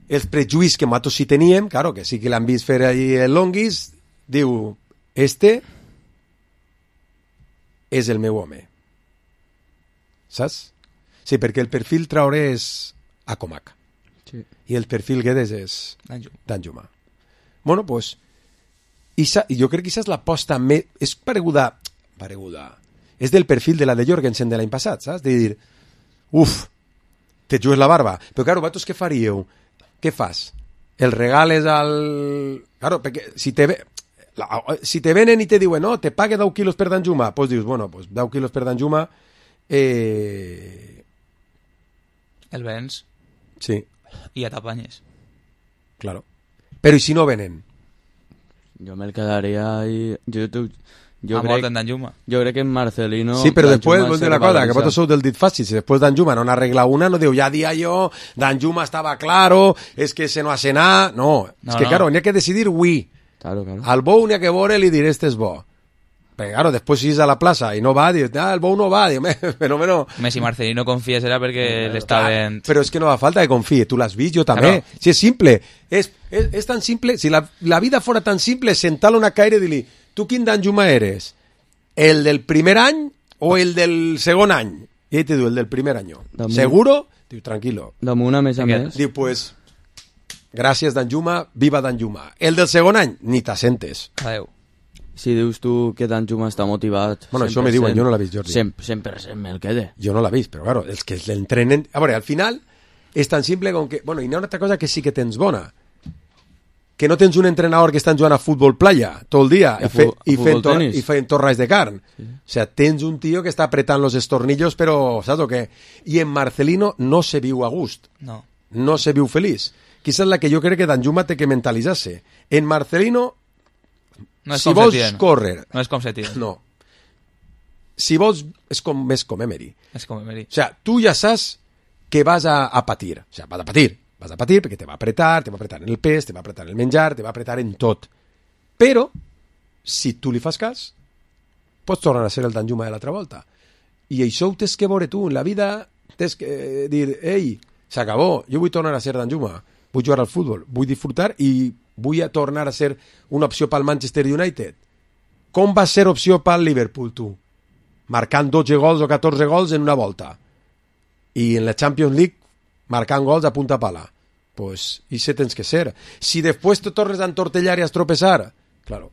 els prejuís que nosaltres sí teníem, claro, que sí que l'han vist fer allí el Longuis, diu, este és el meu home. Saps? Sí, perquè el perfil traoré és a Comac. Sí. I el perfil Guedes és Danjuma. Bueno, pues, isa, jo crec que aquesta és l'aposta més... És pareguda... Pareguda... És del perfil de la de Jorgensen de l'any passat, saps? De dir, uf, te jugues la barba. Però, claro, vosaltres què faríeu? Què fas? El regales al... Claro, perquè si te, ve... la... si te venen i te diuen, no, te pague deu quilos per Danjuma, pues dius, bueno, pues deu quilos per Danjuma... Eh... El vens. Sí. Y a t'apanyes. Claro. Pero ¿y si no venen? Yo me quedaría ahí. Yo, yo, Jo ha crec, mort en Danjuma. Jo crec que en Marcelino... Sí, però després, Danjuma vull dir se una cosa, que revaloriza. vosaltres sou del dit fàcil. Si després Danjuma no n'arregla una, no diu, ja dia jo, Danjuma estava claro, es que se no hace nada. No, No, es que, no. claro, n'hi ha que decidir oui. Claro, claro. Al bou n'hi ha que veure i dir, este és bo. Perquè, claro, després si és a la plaça i no va, dius, ah, el bou no va, diu, però no... Home, si Marcelino confia serà perquè l'estaven... Però és que no fa falta que confie, tu l'has vist, jo també. Claro. Si és simple, és, és, és tan simple, si la, la vida fora tan simple, sentar-lo una caire i dir-li, tu quin Danjuma eres? El del primer any o el del segon any? I ell te diu, el del primer any. Damunt. ¿Seguro? Diu, tranquilo. Damunt, a més a més... Diu, pues, gràcies Danjuma, viva Danjuma. El del segon any, ni t'assentes. Adéu. Si dius tu que Danjuma està motivat... Bueno, això me diuen, jo no l'he vist, Jordi. cent per cent me'l quede. Jo no l'he vist, però claro, els que l'entrenen... A veure, al final és tan simple com que... Bueno, i n'hi ha una altra cosa que sí que tens bona. Que no tens un entrenador que estan jugant a futbol playa tot el dia I a i, fe, fu- a i, futbol fent tor tenis. i fent torres de carn. Sí. O sea, tens un tio que està apretant los estornillos, però saps o què? I en Marcelino no se viu a gust. No. No se viu feliç. Quizás la que jo crec que Danjuma té que mentalitzar-se. En Marcelino, No és si com vols Setién. córrer... No és com Setién. No. Si vols... És com, més com Emery. És com Emery. O sea, tu ja saps que vas a, a patir. O sea, vas a patir. Vas a patir perquè te va apretar, te va apretar en el pes, te va apretar en el menjar, te va apretar en tot. Però, si tu li fas cas, pots tornar a ser el Danjuma de l'altra volta. I això ho tens que veure tu. En la vida tens que eh, dir, ei, s'acabó, jo vull tornar a ser Danjuma, vull jugar al futbol, vull disfrutar i vull a tornar a ser una opció pel Manchester United. Com va ser opció pel Liverpool, tu? Marcant dotze gols o catorze gols en una volta. I en la Champions League marcant gols a punta pala. Pues, i se tens que ser. Si després te tornes a entortellar i a estropeçar, claro.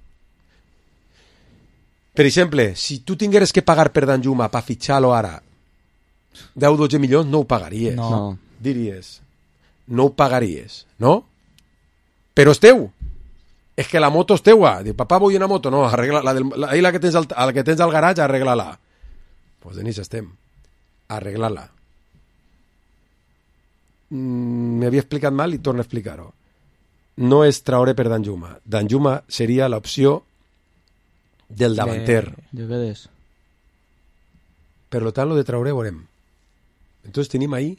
Per exemple, si tu tingueres que pagar per Danjuma per fitxar-lo ara deu o dotze milions, no ho pagaries. No. Diries, no ho pagaries, no? Però és teu. És que la moto és teua. Diu, papà, vull una moto. No, arregla la, del, la, la que tens al, la que tens al garatge, arregla-la. Doncs pues, Denis, estem. Arregla-la. Mm, M'havia explicat mal i torno a explicar-ho. No és Traoré per Danjuma. Danjuma seria l'opció del davanter. Jo què és? Per lo tant, lo de Traoré veurem. Entonces tenim ahí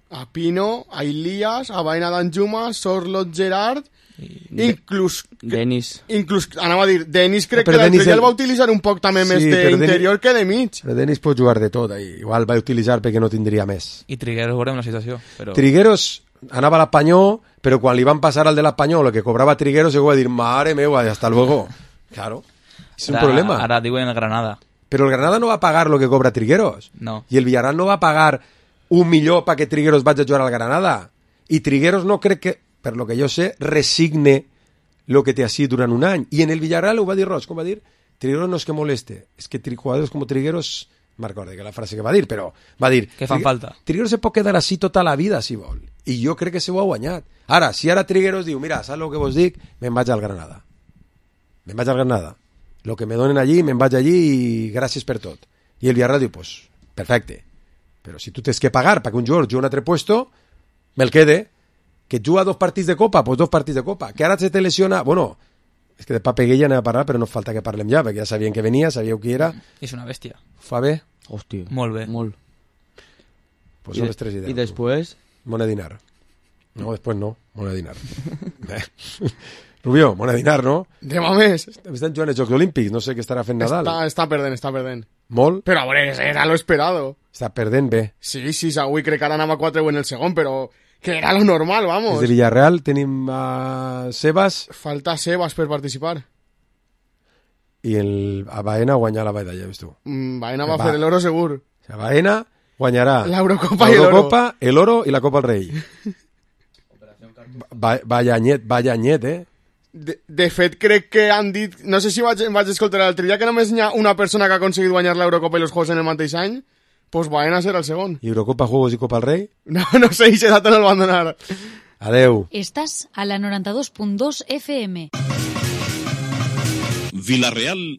a Pino, a Ilías, a Baena Danjuma, Sorlot Gerard, inclús... Denis. Inclús, anava a dir, Denis crec Però que l'altre Denis dia el- el va utilitzar un poc també Sí, més però Denis- d'interior que de mig. Però Denis pot jugar de tot ahí. Igual va utilitzar perquè no tindria més. I Trigueros veurem la situació. Però... Trigueros anava a l'Apanyó, però quan li van passar al de l'Apanyó lo que cobrava Trigueros, se va dir, mare meva, hasta luego. Claro, és un ara, problema. Ara diuen el Granada. Però el Granada no va pagar lo que cobra Trigueros. No. I el Villarreal no va pagar un milió perquè Trigueros vagi a jugar al Granada. I Trigueros no crec que, per lo que jo sé, resigne lo que té així durant un any. I en el Villarreal ho va dir Roig, com va dir? Trigueros no és que moleste, és que tri- jugadors com Trigueros, me'n recordo que la frase que va dir, però va dir... Que fan Trigue- falta. Trigueros se pot quedar així tota la vida, si vol. I jo crec que se ho ha guanyat. Ara, si ara Trigueros diu, mira, saps el que vos dic? Me'n vaig al Granada. Me'n vaig al Granada. Lo que me donen allí, me'n vaig allí i gràcies per tot. I el Villarreal diu, pues, perfecte. Però si tu tens que pagar perquè un jugador jugui un altre puesto, me'l quede. Que juga dos partits de Copa, pues dos partits de Copa. Que ara se te lesiona... Bueno, és que de Papeguella anem a parlar, però no falta que parlem ja, perquè ja sabien que venia, sabíeu qui era. És una bèstia. Fa bé? Hòstia. Molt bé. Molt. Pues I són de- les tres idees. i després? Monedinar. No, després no. Monedinar. Bé. Rubio, Monedinar, no? De més. Estan jugant els Jocs Olímpics, no sé què estarà fent Nadal. Està, està perdent, està perdent. Molt? Però a veure, era lo esperado. Està perdent bé. Sí, sí, avui crec que ara anava quatre en el segon, però que era lo normal, vamos. Des de Villarreal tenim a Sebas Falta Sebas per participar. i el, a Baena guanyar la medalla, ves tu. Mm, Baena va, Va. fer el oro segur. O sea, Baena guanyarà L'Eurocopa i l'oro. l'Eurocopa, el oro i la Copa al Rei. Va, vaya anyet, vaya anyet, eh? De, de fet, crec que han dit... No sé si vaig, em vaig escoltar l'altre dia que només hi ha una persona que ha aconseguit guanyar l'Eurocopa i els Juegos en el mateix any, pues Baena serà el segon. I Eurocopa, Juegos i Copa al Rei? No, no sé, i ese dato no el van donar. Adeu. Estás a la noranta dos punt dos F M. Vila Real